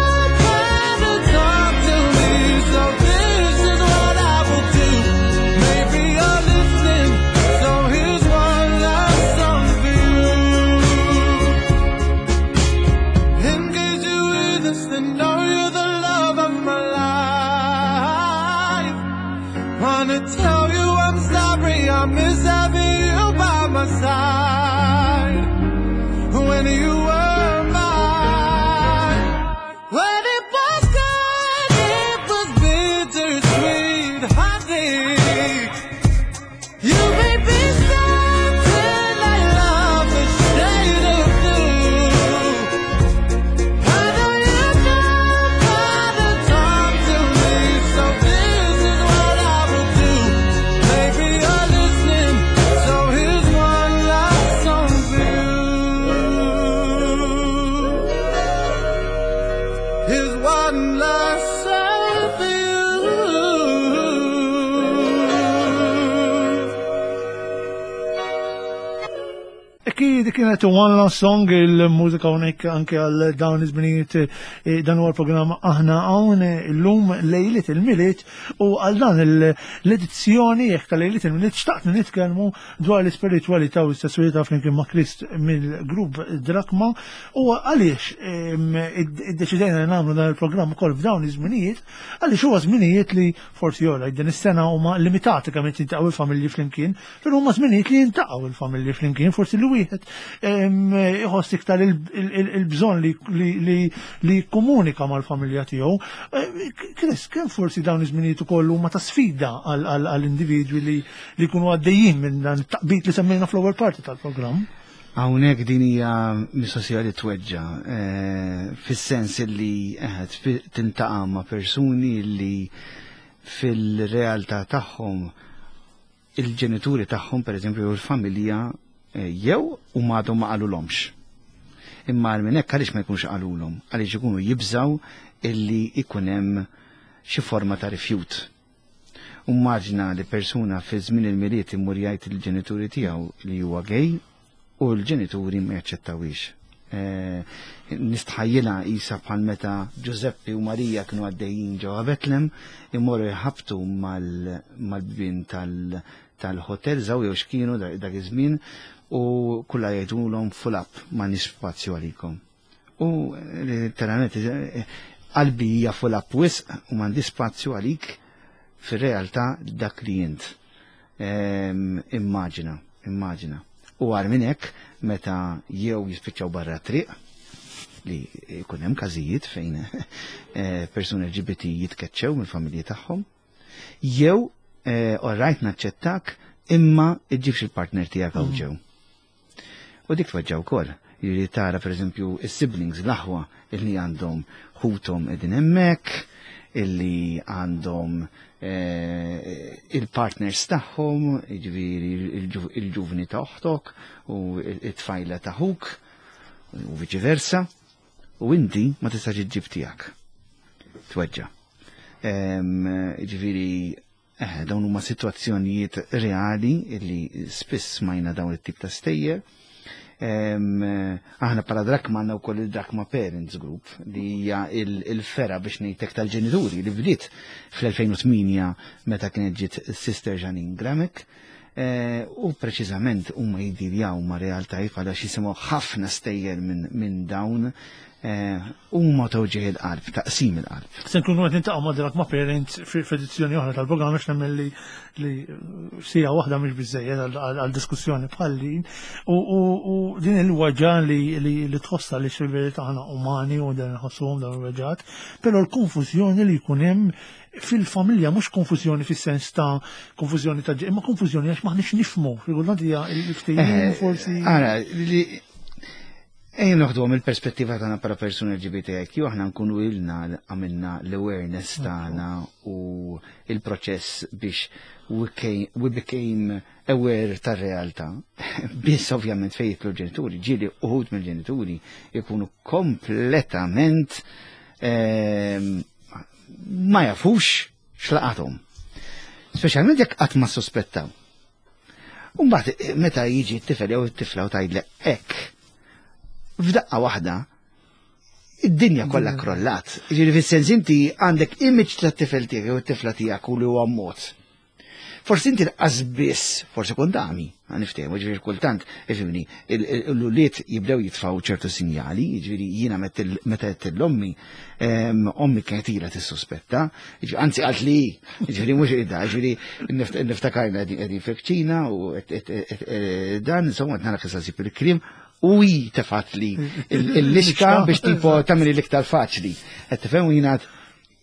Speaker 3: wanna talk to me, so this is what I will do. Maybe you're listening, so here's one last song for you. In case you hear this, then know you're the love of my life. Wanna tell you I'm sorry, I miss having you by my side. When you were mine. When it was good, it was bittersweet, honey. You may be certain I love the shade of blue. I know you don't wanna talk to me, so this is what I will do. Maybe you're listening, so here's one last song for you.
Speaker 1: Tibki, dik kienet One Last Song, il-mużika hawnhekk anke għal dawn iż-żminijiet eh, dan huwa l-programm aħna hawn eh, illum lejliet il-Milied u għal dan l-edizzjoni jekk ta' lejliet il-Milied xtaqt nitkellmu dwar l-ispiritwalità u s-sessualità flimkien ma' Krist mill-grupp Drakma u għaliex iddeċidejna li nagħmlu dan il-programm ukoll f'dawn iż-żminijiet għaliex huwa żminijiet li forsi jola din is-sena huma limitati kemm qed jiltaqgħu il-familji flimkien, però huma żminijiet li jintaqgħu il-familji flimkien, forsi li wieħed iħoss iktar il-bżonn li jikkomunika mal-familja tiegħu. Eh, Chris, kemm forsi dawn iż-żminijiet ukoll huma ta' sfida għall-individwi li jkunu għaddejjin minn dan it-taqbid li semmejna fl-ewwel parti tal-programm?
Speaker 2: Hawnhekk din hija mistoqsija li tweġġa' eh, fis-sens li eh, tintaqa' ma' persuni li fil-realtà tagħhom il-ġenituri tagħhom pereżempju jew il-familja eh, jew u għadhom ma qalulhomx. Imma għal minn hekk għaliex ma jkunx qalulhom? Għaliex ikunu jibżaw illi ikun hemm xi forma ta' rifjut. U mmaġna li persuna fi żmien il-Milied imur jgħid lill-ġenituri tiegħu li huwa gay u l-ġenituri ma jaċċettawhiex. Eh, nistħajjilha qisha bħal meta Ġużeppi u Marija kienu għaddejjin ġewwa Betlem imorru jħabtu mal-bibien tal-hotel żaw jew x'kienu dak iż-żmien u kulla jgħidulhom full up m'għandniex spazju għalikom. U literalment qalbi hija full up wisq u m'għandi spazju għalik fir-realtà dak li int. Ehm, immaġina, immaġina. U għar minn hekk meta jew jispiċċaw barra triq li jkun hemm każijiet fejn eh, persuni LGBT jitkeċċew mill-familji tagħhom, jew eh, orrajt naċċettak imma iġġibx il-partner tiegħek hawn mm. ġew. U dik tweġġa' wkoll. Jiġifieri tara pereżempju is-siblings, l-aħwa illi għandhom ħuthom qegħdin hemmhekk, illi għandhom eh, il-partners tagħhom, jiġifieri il-ġuvni ta' oħtok u it-tfajla ta' ħuk u viċi versa, u inti ma tistax iġġib tiegħek. Tweġġa'. Jiġifieri Eh, dawn huma sitwazzjonijiet reali li spiss smajna dawn it-tip ta' stejjer. Aħna bħala Drakma għandna wkoll il-Drakma Parents Group li hija il-fera biex ngħidlek tal-ġenituri li bdiet fl-2008 meta kienet ġiet Sister Janine Gramick. Eh, u preċiżament huma jiddiljaw ma' realtajiet bħala jisimgħu ħafna stejjer minn dawn eh, huma tewġih il-qalb, taqsim il-qalb.
Speaker 1: Se nkunu qed nintaqgħu ma' Drak ma' Parents f'edizzjoni oħra tal-programm għax nemmen li li sija waħda mhix biżejjed għal diskussjoni bħal din. U din il-waġa li li tħossha li fil-verità aħna umani u dan nħossuhom dawn il-weġgħat, però l-konfużjoni li jkun hemm fil-familja mhux konfużjoni fis-sens ta' konfużjoni ta' imma konfużjoni għax maħniex nifhmu, fil-kultant hija l-ftehim eh, forsi.
Speaker 2: Ara, li Ejja noħduhom il-perspettiva tagħna bħala persuni LGBTIQ, aħna nkunu ilna għamilna l-awareness tagħna u il-proċess biex we became aware tar-realtà. Biss ovvjament fejn jitlu ġenituri, ġieli uħud mill-ġenituri jkunu kompletament ehm, ma jafux x'laqathom. Speċjalment jekk qatt ma sospettaw. Umbagħad eh, meta jiġi t-tifel jew it-tifla u tgħidlek hekk, f'daqqa waħda id-dinja kollha krollat. Ġifieri fis-sens inti għandek image tat-tifel tiegħek jew it-tifla tiegħek u li huwa mod. Forsi inti l-qas biss, forsi kont għami, niftehmu, ġifieri kultant, ifimni, l-ulied jibdew jitfgħu ċertu sinjali, ġifieri jiena meta qed l-ommi, ommi kienet ilha tissuspetta, anzi qalt li, ġifieri mhux ida, ġifieri niftakarna qegħdin fil-kċina u dan, insomma, qed nara kif sib il-kliem, u hi tefat li l-lixka biex tipo tagħmel l-iktar faċli. Qed tifhem u jiena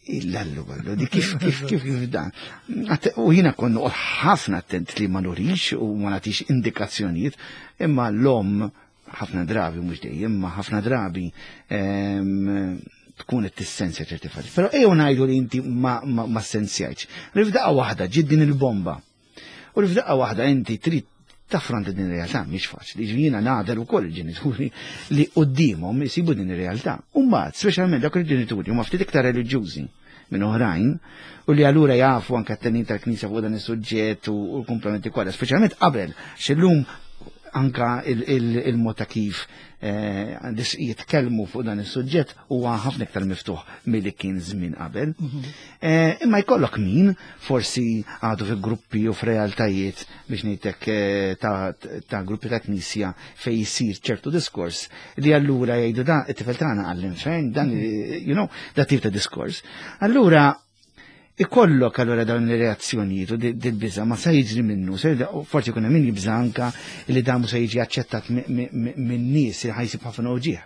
Speaker 2: Illallu għallu, di kif kif kif kif dan. U jina konnu ħafna attent li ma nurix u ma nagħtix indikazzjonijiet, imma l-om ħafna drabi mhux dejjem, ma ħafna drabi ehm, tkun qed tissensja ċerti affarijiet. Però ejjew ngħidu li inti ma, ma, ma sensjajtx. Li f'daqqa waħda ġiet din il-bomba. U li f'daqqa waħda inti trid taffronta din ir-realtà mhix faċli. Jiena nagħder ukoll il-ġenituri li quddiemhom isibu din ir-realtà. U mbagħad, speċjalment dawk il-ġenituri huma ftit iktar reliġjużi minn oħrajn u li allura jafu anke t-tenin tal-Knisja fuq dan is-suġġett u l-komplementi kollha, speċjalment qabel x'illum Anka il-mod ta' kif jitkellmu fuq dan is-suġġett huwa ħafna iktar miftuħ milli kien żmien qabel. Imma jkollok min forsi għadu fi gruppi u f'realtajiet biex ngħidlek ta' gruppi ta' knisja fejn jsir ċertu diskors li allura jgħidu da it-tifel tagħna għall-infern, dan da tip ta' diskors. Allura ikollok allura dawn ir-reazzjonijiet u dil-biża ma se jiġri minnu, forsi jkun hemm min jibża anka li dan mhux se jiġi aċċettat minn nies li ħa jsib ħafna uġigħ.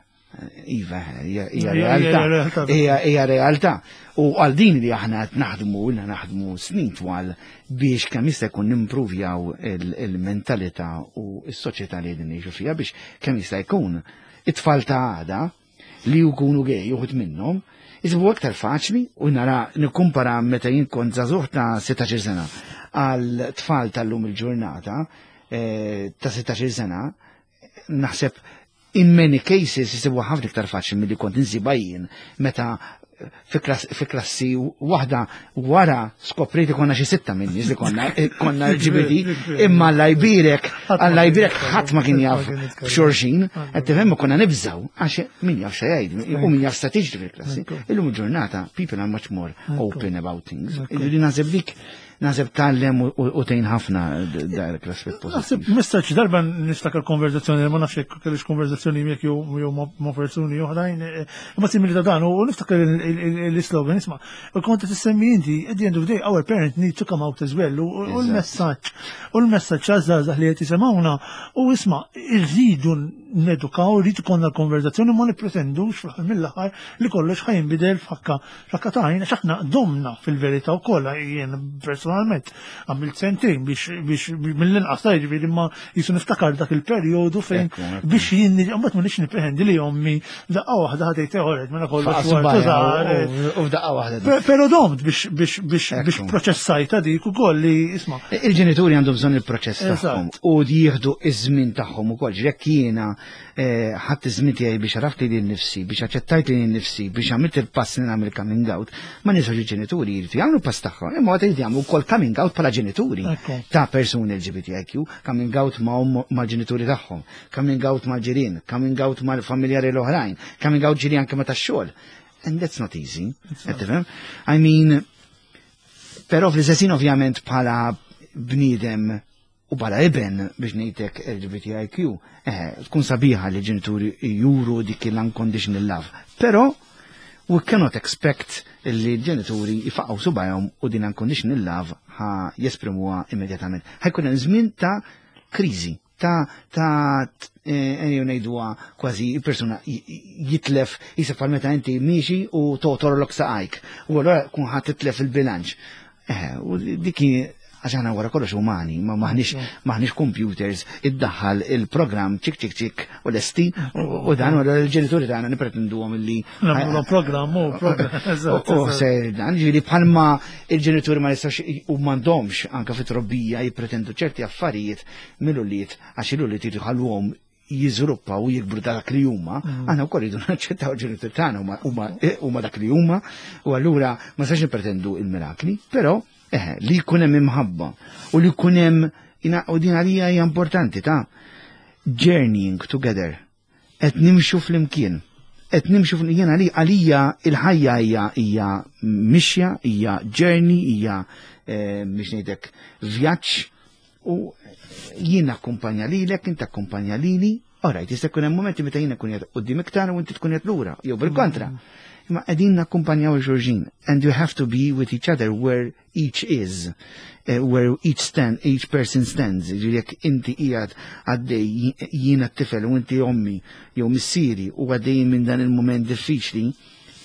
Speaker 2: Iva, hija realtà. Hija realtà. U għal din li aħna qed naħdmu, ilna naħdmu snin twal biex kemm jista' jkun nimpruvjaw il-mentalità u s-soċjetà li qegħdin ngħixu fiha biex kemm jista' jkun it-tfal ta' għada li jkunu gay uħud minnhom jisibu aktar faċli u nara nikkumpara meta jien kont żagħżugħ ta' 16 sena għal tfal tal-lum il-ġurnata ta' 16 sena, naħseb in many cases jisibu ħafna iktar faċli milli kont insibha jien meta fi klassi waħda wara skoprejt konna xi sitta minn nies li konna LGBT, imma Alla jbierek, Alla jbierek ħadd ma kien jaf b'xulxin, qed tifhem, konna nibżaw għax min jaf xa jgħid u min jaf sa tiġri fil-klassi. Illum il-ġurnata people are much more open about things. Ġifieri naħseb dik naħseb tgħallem u tgħin ħafna dak l-aspett
Speaker 1: Naħseb
Speaker 2: pożittiv.
Speaker 1: Messaġġ darba niftakar konverzazzjoni, ma nafx jekk kellix konverzazzjoni miegħek jew ma' persuni oħrajn, imma simili ta' dan, u niftakar l-islogan, isma', u kont qed issemmi inti, at the end of the day, our parents need to come out as well, u l-messaġġ, u l-messaġġ għaż-żgħażagħ li qed jisimgħuna, u isma', irridu nedukaw, irridu konna l-konverzazzjoni, ma nippretendux fl-aħħar mill-aħħar li kollox ħa jinbidel f'ħakka ta' għajn, għax aħna domna fil-verità wkoll, jien personalment għamilt sentejn biex mill-inqas ta' jiġifieri, imma jisu niftakar dak il-perjodu fejn
Speaker 2: Ekku, ekku.
Speaker 1: biex jien mbagħad ma nix nippretendi li ommi daqqa waħda ħa tgħid teħoret mela kollox
Speaker 2: Faqas
Speaker 1: wara
Speaker 2: baja,
Speaker 1: tużar.
Speaker 2: u f'daqqa waħda.
Speaker 1: Pero domt biex proċessajta dik ukoll li isma'.
Speaker 2: Il-ġenituri għandhom bżonn il-proċess tagħhom u jieħdu iż-żmien tagħhom ukoll. Jekk jiena ħadd iż-żmien tiegħi biex għaraft lili nnifsi, biex aċċettajt lili nnifsi, biex għamilt il-pass li nagħmel coming out, ma ninsawx il-ġenituri jridu jagħmlu pass tagħhom, imma għad jridu jagħmlu wkoll coming out bħala ġenituri ta' persuni LGBTIQ, coming out mal-ġenituri tagħhom, coming out mal-ġirien, coming out mal-familjari l-oħrajn, coming out ġiri anke ma tax-xogħol. And that's not easy. Qed tifhem? I mean, però fl-istess ħin ovvjament bħala bniedem u bħala iben biex ngħidlek LGBTIQ, tkun sabiħa li ġenituri juru dik l-unconditional love. Però we cannot expect li l-ġenituri jfaqgħu subajhom u din unconditional love ħa jesprimuha immedjatament. Ħa jkun hemm żmien ta' kriżi, ta' ejjew ngħiduha kważi persuna jitlef jisef bħal meta inti miexi u totorlok saqajk. U allura kun ħa titlef il-bilanċ. U dik għax aħna wara kollox umani, ma maħniex computers, iddaħħal il-programm ċik ċik ċik u lesti, u dan u l-ġenituri tagħna nipretenduhom illi
Speaker 1: Nagħmlu programm u programm. Eżatt,
Speaker 2: U
Speaker 1: eżatt.
Speaker 2: se dan, ġifieri bħalma il-ġenituri ma jistax u m'għandhomx anke fit-trobbija jippretendu ċerti affarijiet mill-ulied għax il-ulied jħalluhom jiżviluppaw u jikbru dak li huma, aħna wkoll rridu naċċettaw il-ġenituri tagħna huma dak li huma, u allura ma sax nippretendu il-mirakli, però li jkun hemm imħabba u li jkun hemm u din għalija hija importanti ta' journeying together. Qed nimxu flimkien. Qed nimxu flimkien għalija il-ħajja hija mixja, hija journey, hija biex ngħidlek vjaġġ u jien akkumpanja lilek, inti akkumpanja lili. Alright, jista' jkun hemm momenti meta jiena nkun qiegħed quddiem iktar u inti tkun qiegħed lura, jew bil-kontra. Imma qegħdin nakkumpanjaw il-xulxin and you have to be with each other where each is, where each stand, each person stands. Ġifieri jekk inti qiegħed għaddej jiena t-tifel u inti ommi jew missieri u għaddejjin minn dan il-moment diffiċli,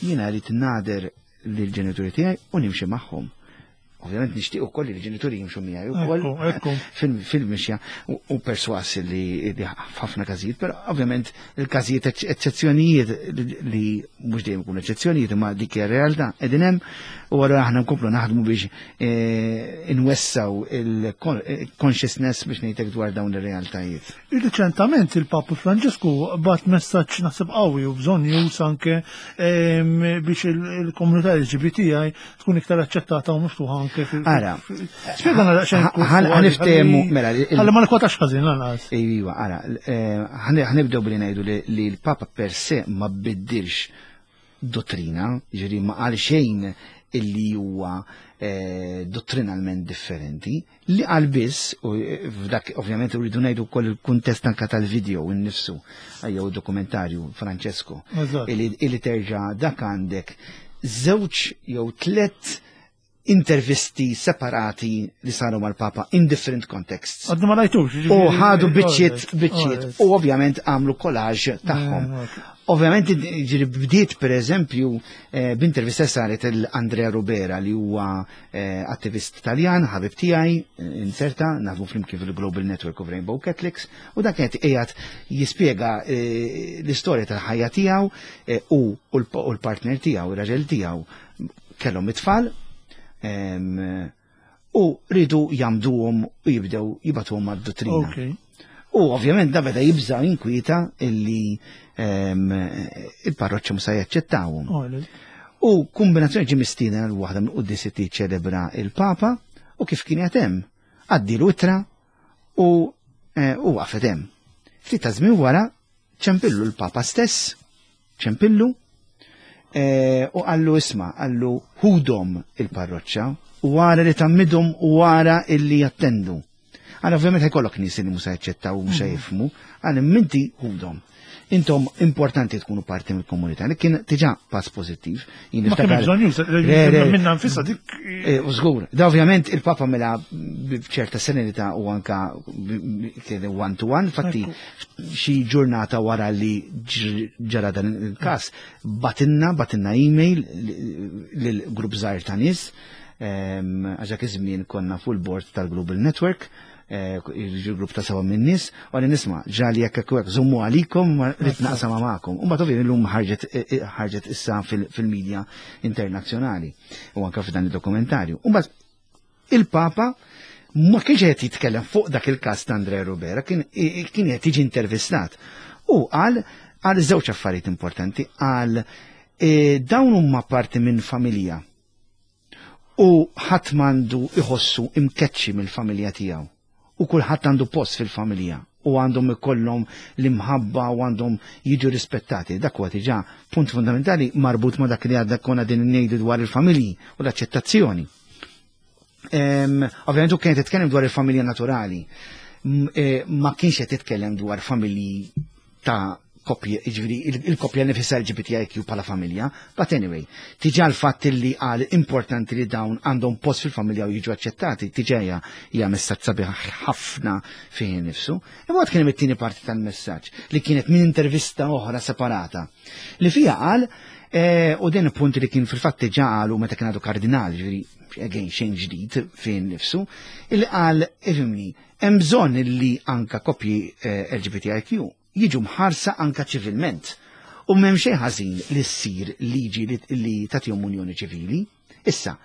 Speaker 2: jiena rrid nader lill-ġenituri tiegħi u nimxi magħhom. Ovvjament nixtieq ukoll li l-ġenituri jimxu miegħi wkoll
Speaker 1: Ekku, ekku.
Speaker 2: fil-mixja u perswas li f'ħafna każijiet, però ovvjament il-każijiet eċċezzjonijiet li mhux dejjem ikunu eċċezzjonijiet imma dik hija realtà qegħdin hemm. U għallura aħna nkomplu naħdmu biex eh, inwessaw il-consciousness biex ngħidlek dwar dawn ir-realtajiet.
Speaker 1: Riċentament il-Papa Franġisku bat messaġġ naħseb qawwi u bżonn jus anke biex il-komunità LGBTI tkun iktar aċċettata u miftuħa anke fil.
Speaker 2: Ara.
Speaker 1: Spjegana daqsxejn.
Speaker 2: Ħaniftehmu mela.
Speaker 1: Ħalli ma nikwotax ħażin lanqas.
Speaker 2: Iva, ara, eh, ħanibdew billi ngħidu li l-Papa per se ma biddilx dottrina, ġifieri ma qal xejn illi huwa eh, dottrinalment differenti, li qal biss, u eh, f'dak ovvjament rridu ngħidu wkoll il-kuntest anka tal-video innifsu, jew dokumentarju Francesco, illi terġa' dak għandek żewġ jew tlet intervisti separati li saru mal-Papa in different contexts.
Speaker 1: Għaddu ma rajtux.
Speaker 2: U ħadu biċċiet, biċċiet, u ovvjament għamlu collage tagħhom. Eh, ovvjament ġiri bdiet per eżempju eh, b'intervista saret l-Andrea Rubera li huwa eh, attivist Taljan, ħabib tiegħi, inserta, nafu flimkien fil-Global Network of Rainbow Catholics, u dak qed qiegħed jispjega l-istorja tal-ħajja tiegħu u l-partner tiegħu, ir-raġel tiegħu kellhom it-tfal u ridu jamduhom u jibdew jibatuhom għad-dottrina. U ovvjament da beda jibża inkwieta illi il-parroċċa musa jaċċettawhom. U kombinazzjoni ġie mistieden għal waħda minn quddiesiet li ċelebra il-Papa u kif kien qed hemm għaddilu ittra u eh, u waqfet hemm. Ftit ta' żmien wara ċempillu l-Papa stess, ċempillu, eh, u qallu isma' qallu ħudhom il-parroċċa u wara li tammidhom u wara illi jattendu. Għal ovvjament ħajkollok nies li mhux se jaċċettaw u mhux se jifhmu, għal minti ħudhom. Intom importanti tkunu parti mill-komunità, li kien diġà pass pożittiv.
Speaker 1: Jien Ma kien bżonn juża minna nfisha dik.
Speaker 2: Eh, u żgur, da ovvjament il-Papa mela b'ċerta serenità u anka kien one to one, fatti xi ġurnata wara li ġara dan il-każ, batinna, batinna email lil grupp żgħir ta' nies, għax dak iż-żmien konna fuq il-board tal-Global Network, eh, il-grupp ta' seba' minn nies, u għalli nisma' ġali jekk hekk hekk żommu għalikom ma rrid naqsam magħkom. U mbagħad ovvjament illum ħarġet eh, eh, ħarġet issa fil-medja internazzjonali u anke f'dan id-dokumentarju. U mbagħad il-Papa ma kienx qed jitkellem fuq dak il-każ ta' Andrea Rubera, kien qed jiġi intervistat. U qal għal żewġ affarijiet importanti, qal dawn huma parti minn familja U ħadd m'għandu jħossu imkeċċi mill-familja tiegħu. U kulħadd għandu post fil-familja u għandhom ikollhom l-imħabba u għandhom jiġu rispettati. Dak huwa diġà punt fundamentali marbut ma' dak li għadna konna din ngħidu dwar il-familji u l-aċċettazzjoni. Ovvjament u kienet titkellem dwar il-familja naturali. Eh, ma kienx qed titkellem dwar familji ta' koppji, ġifieri il-koppja nifisha LGBTIQ bħala familja, but anyway, tiġa l-fatt li qal importanti li dawn għandhom post fil-familja u jiġu aċċettati, tiġa hija hija messaġġ sabiħ ħafna fih nifsu. Imma kien hemm it-tieni parti tal-messaġġ li kienet minn intervista oħra separata li fiha qal eh, u din punt li kien fil-fatt diġà qalu meta kien għadu kardinal, ġifieri again xejn ġdid fih nifsu, illi qal ifhimni Hemm bżonn li anka koppji eh, LGBTIQ jiġu mħarsa anka ċivilment. U m'hemm xejn ħażin li ssir liġi li tagħtihom unjoni ċivili. Issa,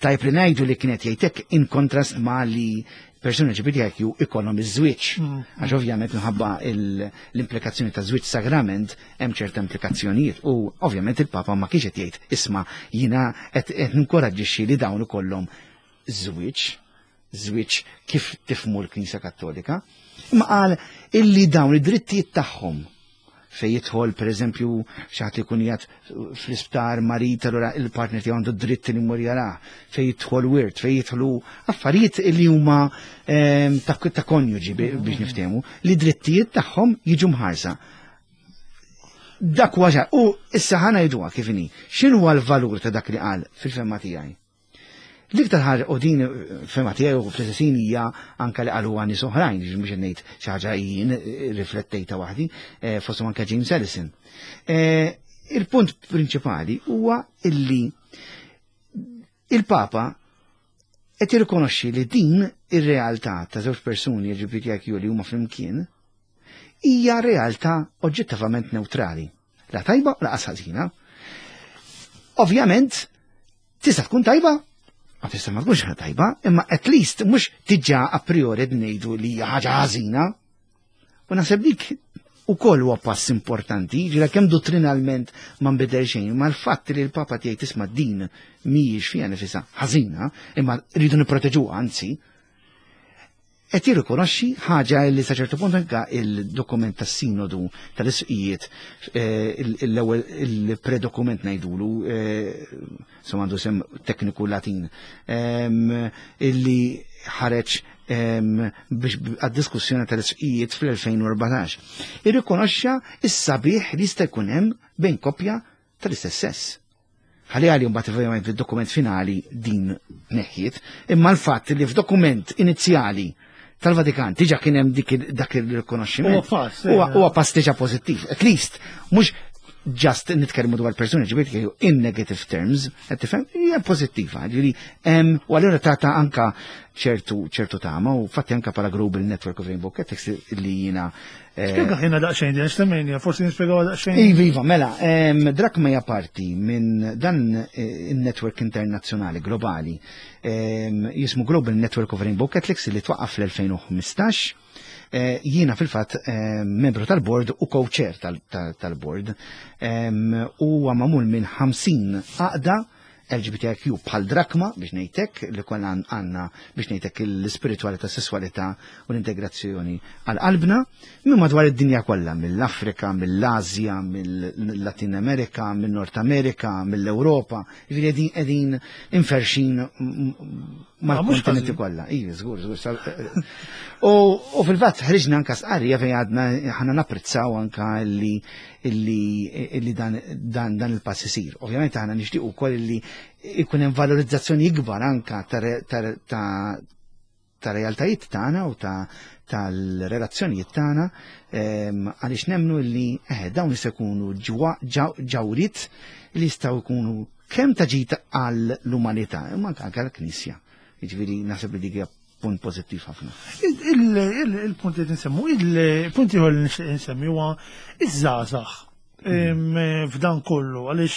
Speaker 2: tajb li ngħidu li kienet jgħidlek in kontrast ma li persuni LGBTIQ ikollhom iż-żwieġ. Mm. Għax ovvjament minħabba l-implikazzjoni ta' żwieġ sagrament hemm ċerta implikazzjonijiet u ovvjament il-Papa ma kienx qed jgħid isma' jiena qed ninkoraġġixxi li dawn ikollhom żwieġ, żwieġ kif tifmu l-Knisja Kattolika, imma qal illi dawn id-drittijiet tagħhom fej jidħol per eżempju xi ħadd ikun qiegħed fl-isptar marid allura il-partner tiegħu għandu dritt li jmur jarah, fej jidħol wirt, fej jidħlu affarijiet li huma ehm, ta' konjuġi biex niftehmu li drittijiet tagħhom jiġu mħarsa. Dak huwa u issa ħa ngħiduha kif inhi. X'inhu l-valur ta' dak li qal fil-femma tiegħi? L-iktar ħaġa u din fema tiegħi u fl-istess hija anke li qalu nies oħrajn, mhux qed ngħid xi ħaġa jien riflettejta waħdi, eh, fosthom anke James Ellison. Eh, il-punt prinċipali huwa illi il-Papa qed jirrikonoxxi li din ir-realtà ta' żewġ persuni LGBTIQ li huma flimkien hija realtà oġġettivament neutrali. La tajba u laqas ħażina. Ovvjament, tista' tkun tajba, ma tista' ma tkunx tajba, imma at least mhux diġà a priori ngħidu li hija ħaġa ħażina. U naħseb dik ukoll huwa pass importanti, ġira kemm dottrinalment ma nbidel xejn, ma l-fatt li l-Papa tiegħi tisma' din mhijiex fiha nifisha ħażina, imma rridu nipproteġuha anzi, qed jirrikonoxxi ħaġa li sa ċertu punt anka il-dokument tas-sinodu tal-isqijiet l-ewwel il-predokument ngħidulu insomma għandu sem tekniku Latin illi ħareġ biex għad-diskussjoni tal-isqijiet fl-2014. Irrikonoxxa is-sabiħ li jista' jkun hemm bejn koppja tal-istess sess. Ħalli għalli mbagħad ovvjament fid-dokument finali din neħjiet, imma l-fatt li f'dokument inizjali tal-Vatikan diġà kien hemm dak il-rikonoxximent.
Speaker 1: Huwa pass,
Speaker 2: Huwa pass diġà pożittiv. At least mhux just nitkellmu dwar persuni LGBTQ in negative terms, qed tifhem, hija pożittiva, ġifieri hemm u allura tata anka ċertu ċertu tama u fatti anka bħala Global Network of Rainbow Catholics li jiena
Speaker 1: Spjega ħina daqsxejn, din x'temmejnija, forsi nispjegaw daqsxejn.
Speaker 2: Iva, iva, mela, Drakma hija parti minn dan in-network internazzjonali globali jismu Global Network of Rainbow Catholics li twaqqaf fl-2015. Jiena fil-fatt membru tal-board u co-chair tal-board u huwa magħmul minn 50 għaqda LGBTIQ bħal Drakma biex ngħidlek li kollha għandna biex ngħidlek l-ispiritualità, sessualità u l-integrazzjoni għal qalbna minn madwar id-dinja kollha, mill-Afrika, mill-Asja, mill-Latin Amerika, minn-Nord Amerika, mill-Ewropa, jiġifieri qegħdin inferxin mal-kontinenti kollha. Iva, żgur, żgur. U fil-fatt ħriġna anka sqarrija fejn għadna ħana napprezzaw anka li illi dan, dan, dan il-pass isir. Ovvjament aħna nixtiequ wkoll illi ikun hemm valorizzazzjoni ikbar anka ta' realtajiet tagħna u ta' tal-relazzjonijiet tagħna għaliex nemmnu li dawn jista' jkunu ġawriet li jistgħu jkunu kemm ta' ġid għall-umanità imma anke għall-Knisja. Jiġifieri naħseb li dik hija punt pożittiv ħafna.
Speaker 1: Il-punt li nsemmu, il-punt ieħor li nixtieq insemmi huwa iż-żgħażagħ f'dan kollu, għaliex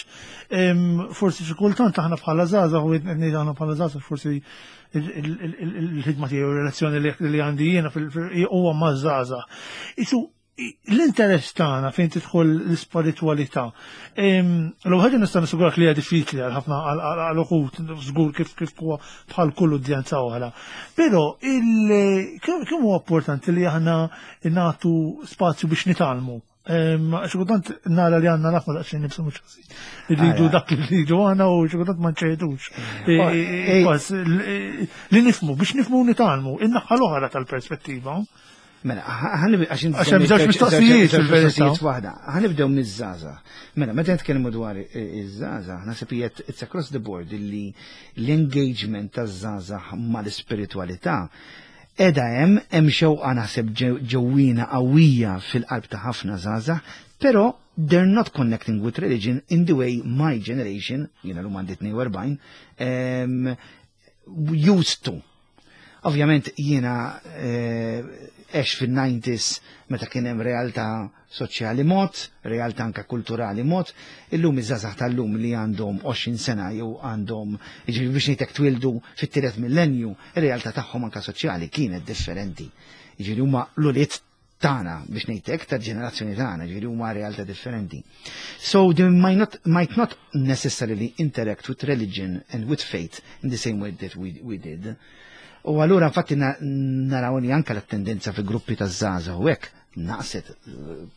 Speaker 1: forsi xi kultant aħna bħala żgħażagħ u qed ngħid aħna bħala żgħażagħ forsi il-ħidma tiegħi u r-relazzjoni li għandi jiena huwa maż-żgħażagħ. Isu l-interess tagħna fejn tidħol l-ispiritwalità. L-ewwel ħaġa nista' nissigurak li hija diffiċli għal ħafna għal uħud żgur kif kif huwa bħal kull udjenza oħra. Però kemm huwa importanti li aħna nagħtu spazju biex nitgħallmu. Xi kultant nara li għandna nafna daqsxejn nibsu mhux ħażin. Irridu dak li rridu aħna u xi kultant ma nċedux. Li nifhmu biex nifhmu nitgħallmu, in-naħa l-oħra tal-perspettiva.
Speaker 2: Mela, ħanibdew għax Għax hemm żewġ mistoqsijiet fil-verità. Waħda. Ħanibdew miż-żgħażagħ. Mela, meta nitkellmu dwar iż-żgħażagħ, naħseb hija it's across the board illi l-engagement taż-żgħażagħ mal-ispiritwalità qiegħda hemm, hemm xewqa naħseb ġewwina qawwija fil-qalb ta' ħafna żgħażagħ, però they're not connecting with religion in the way my generation, jiena l għandi 42, used to. Ovvjament jiena għext fin-90s meta kien hemm realtà soċjali mod, realtà anka kulturali mod, illum iż-żgħażagħ tal-lum li għandhom 20 sena jew għandhom jiġifieri biex ngħidlek twildu fit-tielet millenju, ir-realtà tagħhom anka soċjali kienet differenti. Jiġifieri huma l-ulied tagħna biex ngħidlek tal-ġenerazzjoni tagħna, ġifieri huma realtà differenti. So they might not necessarily interact with religion and with faith in the same way that we did. U allura infatti naraw li anka l-tendenza fi gruppi ta' żgħażagħ u hekk naqset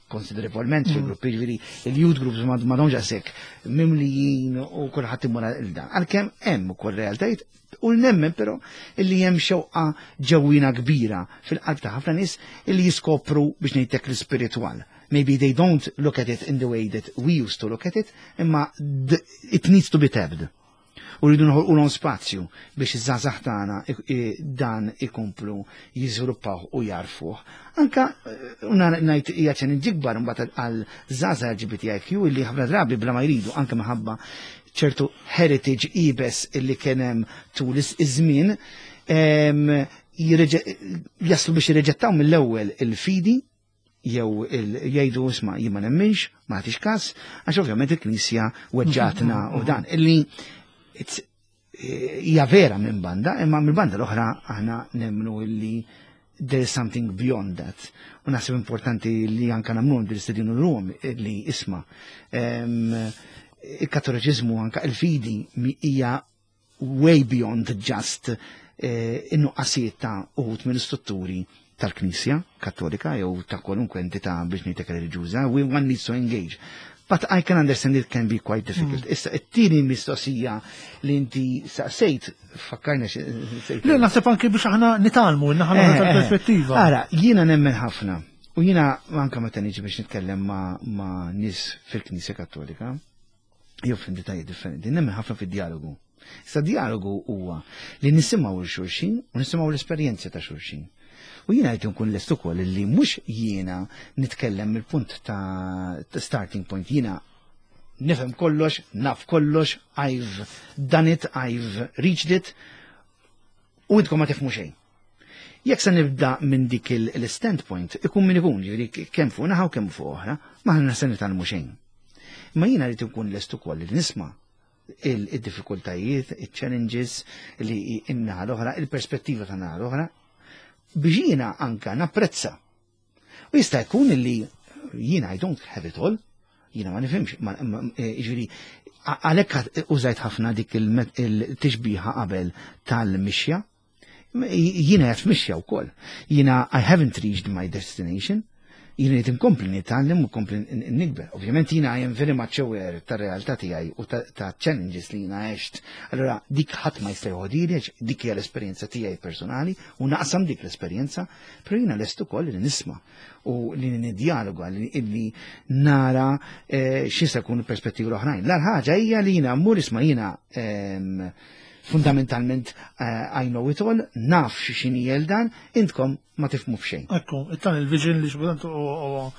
Speaker 2: konsiderevolment fi gruppi, ġifieri il-youth groups ma domx għasek mimlijin u kulħadd imur għal dan. Għalkemm hemm ukoll realtajiet u nemmen però illi hemm xewqa ġewwina kbira fil-qalb ta' ħafna nies illi jiskopru biex ngħidlek l-ispiritwal. Maybe they don't look at it in the way that we used to look at it, imma it needs to be tapped. U rridu noħolqulhom spazju biex iż-żgħażagħ tagħna dan ikomplu jiżviluppaw u jarfuh. Anka ngħid hija challenge ikbar imbagħad għal żgħażagħ LGBTIQ illi ħafna drabi bla ma jridu anke minħabba ċertu heritage ibes illi kien hemm tul iż-żmien jaslu biex jirreġettaw mill-ewwel il-fidi. Jew jgħidu, "Isma', jien ma nemminx, ma nagħtix każ, għax ovvjament il-Knisja weġġatna" u dan. Illi hija vera minn banda, imma minn banda l-oħra aħna nemmnu illi there is something beyond that. U naħseb importanti li anka nagħmlu dil-istedina l-lum li, isma', il-Kattoliċiżmu, anka il-fidi, hija way beyond just in-nuqqasijiet ta' uħud mill-istrutturi tal-Knisja Kattolika jew ta' kwalunkwe entità, biex ngħidlek, reliġjuża. We one needs to engage. But I can understand it can be quite difficult. Issa, it-tieni mistoqsija li inti saqsejt, fakkarna.
Speaker 1: Le, naħseb anke biex aħna nitgħallmu, naħna tal-perspettiva.
Speaker 2: Ara, jiena nemmen ħafna. U jiena anka meta niġi biex nitkellem ma' nies fil-Knisja Kattolika, jew f'entitajiet differenti, nemmen ħafna fid-dialogu. Issa, dialogu huwa li nisimgħu 'l xulxin u nisimgħu l-esperjenzi ta' xulxin. U jiena qed nkun lest ukoll li mhux jiena nitkellem mill-punt ta' starting point, jiena nifhem kollox, naf kollox, I've done it, I've reached it, u intkom ma tifhmu xejn. Jekk se nibda minn dik il-standpoint, ikun min ikun, ġifieri kemm fuq naħa u kemm fuq oħra, ma ħna se nitgħallmu xejn. Imma jiena rrid nkun lest ukoll li nisma' il-diffikultajiet, il-challenges li in-naħa l-oħra, il-perspettiva ta' naħa l-oħra, biex jiena anka napprezza. U jista' jkun li jiena I don't have it all, jiena ma nifhimx, ġifieri għalhekk użajt ħafna dik il-tixbiħa qabel tal-mixja. Jiena qed mixja wkoll. Jiena I haven't reached my destination. Jiena qed inkompli nitgħallem u nkompli nikber. Ovvjament jiena I am very much aware tar-realtà tiegħi u ta' challenges li jiena għext. Allora dik ħadd ma jista' joħodili, dik hija l-esperjenza tiegħi personali u naqsam dik l-esperjenza, però jiena lest ukoll li nisma' u li nidjaloga, li nara x'jista' jkunu perspettivi l-oħrajn. L-ħaġa hija li jiena mmur, "Isma', jiena fundamentalment I know it all, naf x'inhi dan, intkom ma tifhmu f'xejn."
Speaker 1: Ekku, it-tan il-vision li xbudant u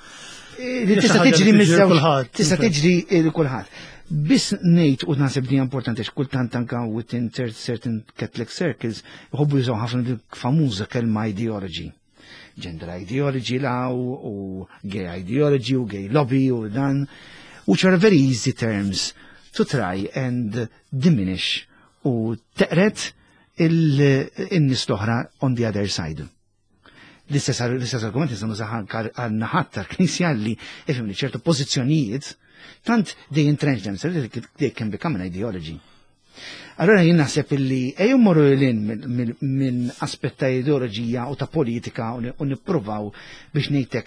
Speaker 2: Li tista' tiġri miż-żewġ, tista' tiġri lil kulħadd. Biss ngħid, u naħseb din importanti, kultant anka within certain Catholic circles jħobbu jużaw ħafna dik famuża kelma ideology. Gender ideology law u gay ideology u gay lobby u dan, which are very easy terms to try and diminish u teqret in-nies l-oħra on the other side. L-istess argument nistgħu nużah għan-naħat tal-Knisja li, ifhimni, ċertu pożizzjonijiet tant they entrench themselves, they can become an ideology. Allora jien naħseb illi ejju mmorru lil minn aspett ta' ideoloġija u ta' politika u nippruvaw, biex ngħidlek,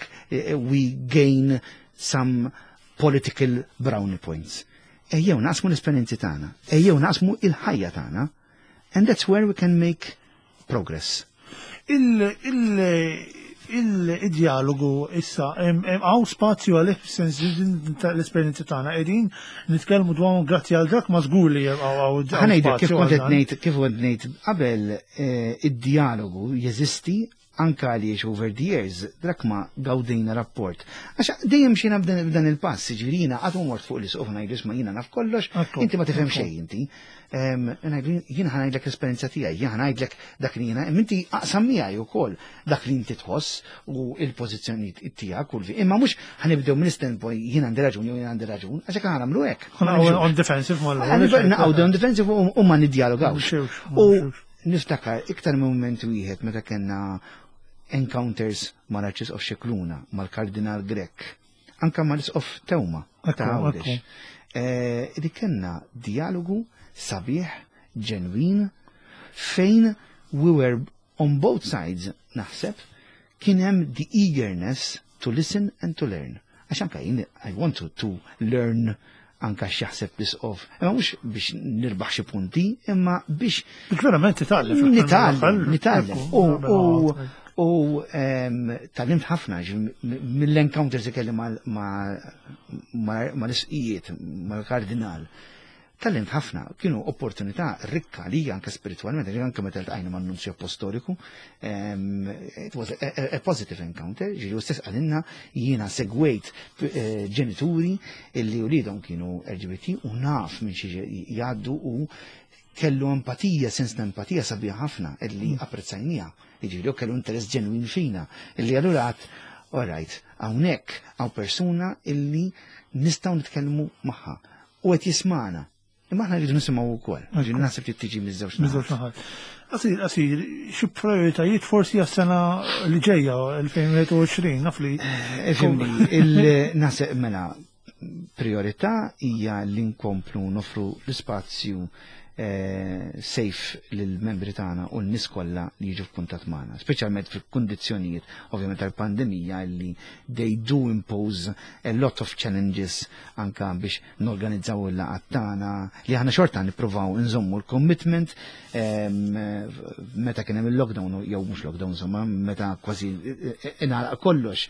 Speaker 2: we gain some political brownie points. Ejjew naqsmu l-esperjenzi tagħna, ejjew naqsmu il-ħajja tagħna, and that's where we can make progress.
Speaker 1: Il-dialogu issa, hawn spazju għalih, sens l-esperjenzi tagħna qegħdin nitkellmu dwar grazzi għal dak ma żgur li hawn
Speaker 2: Ħa ngħidlek kif kont qed ngħid, kif kont ngħid qabel, id-dialogu jeżisti anka għaliex over the years dak ma gawdejna rapport. Għax dejjem xina b'dan il-pass, ġifieri jiena qatt mort fuq l-isqof ngħidu, "Isma', jiena naf kollox, inti ma tifhem xejn inti." Jiena ħa ngħidlek l-esperjenza tiegħi, jiena ħa ngħidlek dak li jiena, inti aqsam miegħi wkoll dak li inti tħoss u il-pożizzjoni tiegħek u imma mhux ħa nibdew minn standpoint jien għandi raġun jew jien għandi raġun, għax hekk ħa nagħmlu hekk.
Speaker 1: On defensive.
Speaker 2: Naqgħu on defensive u ma niddialogawx. U niftakar iktar minn moment wieħed meta kellna encounters mal-Arċisqof Scicluna, mal-Kardinal Grech, anka mal-Isqof Teuma ta' Għawdex. Li kellna dialogu sabiħ, ġenwin, fejn we were on both sides, naħseb, kien hemm the eagerness to listen and to learn. Għax anka jien I want to learn anka x'jaħseb l-isqof. Imma mhux biex nirbaħ xi punti, imma biex
Speaker 1: Biex verament titgħallem.
Speaker 2: Nitgħallem, nitgħallem. U tgħallimt ħafna mill-encounters li kelli mal-isqijiet, mal-kardinal. Tgħallimt ħafna, kienu opportunità rikka li anke spiritualment, anke meta ltqajna man-Nunzju Apostoliku, it was a positive encounter, ġifieri stess qalilna, "Jiena segwejt ġenituri illi uliedhom kienu LGBT u naf minn xi jgħaddu," u kellu empatija, sens ta' empatija sabiħ ħafna illi apprezzajnieha. Ġifieri kellu interess ġenwin fina, illi allura għedt, "All right, Hawnhekk hawn persuna illi nistgħu nitkellmu magħha u qed jismagħna. Imma aħna rridu nisimgħu wkoll. Ġifieri naħseb li tiġi miż-żewġ
Speaker 1: Miż-żewġ naħat. Qasir, qasir, xi prioritajiet forsi għas-sena li ġejja 2021, naf li.
Speaker 2: Ifhimni, naħseb mela priorità hija li nkomplu nofru l-ispazju safe lill-membri tagħna u n-nies kollha li jiġu f'kuntatt magħna, speċjalment fil-kundizzjonijiet ovvjament tal-pandemija li they do impose a lot of challenges anka biex norganizzaw il-laqgħat tagħna li aħna xorta nippruvaw nżommu l-commitment meta kien hemm il-lockdown jew mhux lockdown insomma meta kważi ingħalaq kollox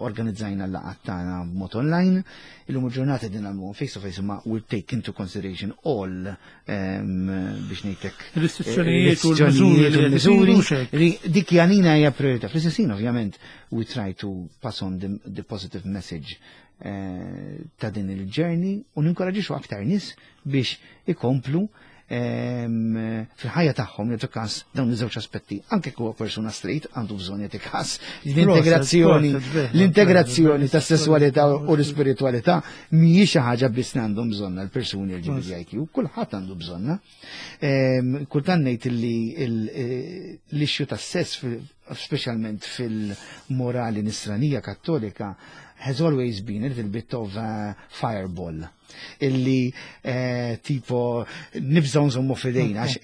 Speaker 2: organizzajna l-laqgħat tagħna b'mod online. Illum il-ġurnata din nagħmluhom face to face imma we'll take into consideration all biex ngħidlek
Speaker 1: Restrizzjonijiet u l-miżuri li qed
Speaker 2: isiru. Dik għalina hija priorità. Fl-istess ħin ovvjament we try to pass on the positive message ta' din il-journey u ninkoraġixxu aktar nies biex ikomplu fil-ħajja tagħhom jagħtu każ dawn iż-żewġ aspetti. Anke huwa persuna straight għandu bżonn jagħti każ l-integrazzjoni l-integrazzjoni tas-sesswalità u l-ispiritwalità mhijiex xi ħaġa biss li għandhom bżonna l-persuni LGBTIQ, kulħadd għandu bżonna. Kultant ngħid li l-issue tas-sess speċjalment fil-morali nisranija kattolika has always been a little bit of a fireball illi tipo nibżgħu nżommu f'idejna għax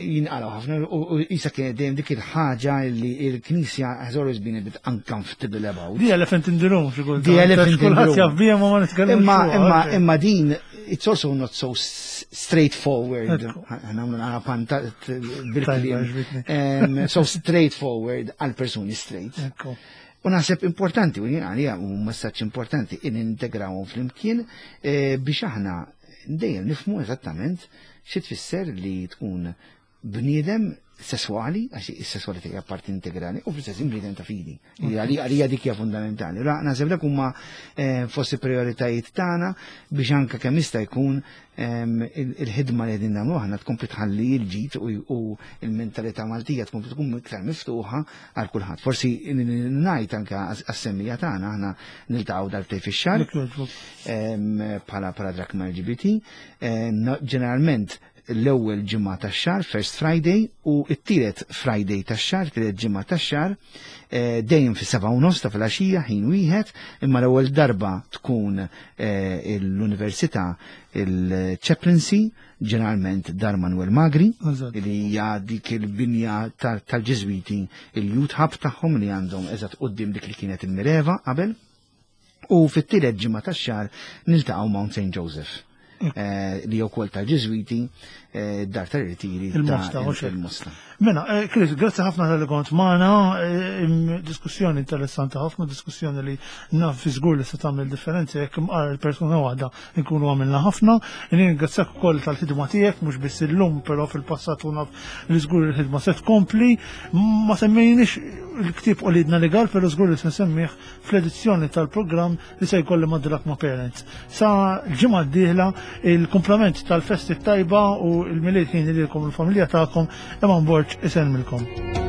Speaker 2: jinqalgħu ħafna u isa kienet dejjem dik il-ħaġa illi il-Knisja has always been a bit uncomfortable about.
Speaker 1: The elephant in the room, xi kultant.
Speaker 2: The elephant in the
Speaker 1: Kulħadd
Speaker 2: room.
Speaker 1: jaf biha ma ma nitkellmux
Speaker 2: Imma
Speaker 1: fuqha,
Speaker 2: imma
Speaker 1: ok.
Speaker 2: imma din it's also not so straightforward.
Speaker 1: Ekku.
Speaker 2: Nagħmlu naqra panta bil-kliem.
Speaker 1: Tajba, ġbitni.
Speaker 2: So straightforward għal persuni straight.
Speaker 1: Ekku.
Speaker 2: U naħseb importanti, u jien għalija u messaġġ importanti in integrawhom flimkien biex aħna dejjem nifhmu eżattament xi tfisser li tkun bniedem sesswali, għax is-sesswalità hija parti integrali, u fl-istess bniedem ta' fidi. Għalija dik hija fundamentali. Ra, naħseb dak huma fost il-prioritajiet tagħna biex anke kemm jista' jkun il-ħidma li qegħdin nagħmlu aħna tkompli tħalli l-ġid u l-mentalità Maltija tkompli tkun iktar miftuħa għal kulħadd. Forsi ngħid anke għas-semmija tagħna aħna niltaqgħu darbtejn fix-xahar bħala Drachma LGBT, ġeneralment l-ewwel ġimgħa tax-xahar, First Friday, u t-tielet Friday tax-xahar, tielet ġimgħa tax-xahar, dejjem fis-7:30 ta' filgħaxija ħin wieħed, imma l-ewwel darba tkun l-Università il-Chaplaincy, ġeneralment Dar Manuel Magri, li hija dik il-binja tal-Ġiżwiti, il-Youth Hub tagħhom li għandhom eżatt quddiem dik li kienet il-Mireva qabel. U fit-tielet ġimgħa tax-xahar niltaqgħu Mount St. Joseph, li wkoll tal-Ġiżwiti, dar tal-Irtiri ta'
Speaker 1: Il-Mosta, mhux hekk.
Speaker 2: il-Mosta.
Speaker 1: Mela, Chris, grazzi ħafna tal-li kont magħna, diskussjoni interessanti ħafna, diskussjoni li naf fi żgur li se tagħmel differenza jekk imqar il-persuna waħda nkunu għamilna ħafna. Ningrazzjak ukoll tal-ħidma tiegħek, mhux biss illum, però fil-passat u naf li żgur il-ħidma se tkompli. Ma semmejniex il-ktieb Uliedna Legal, però żgur li se nsemmih fl-edizzjoni tal-programm li se jkolli ma' Drachma Parents. Sa l-ġimgħa d-dieħla il-komplement tal-festi tajba u l-Milied ħin lilkom il-familja tagħkom, Eman Borg isellmilkom.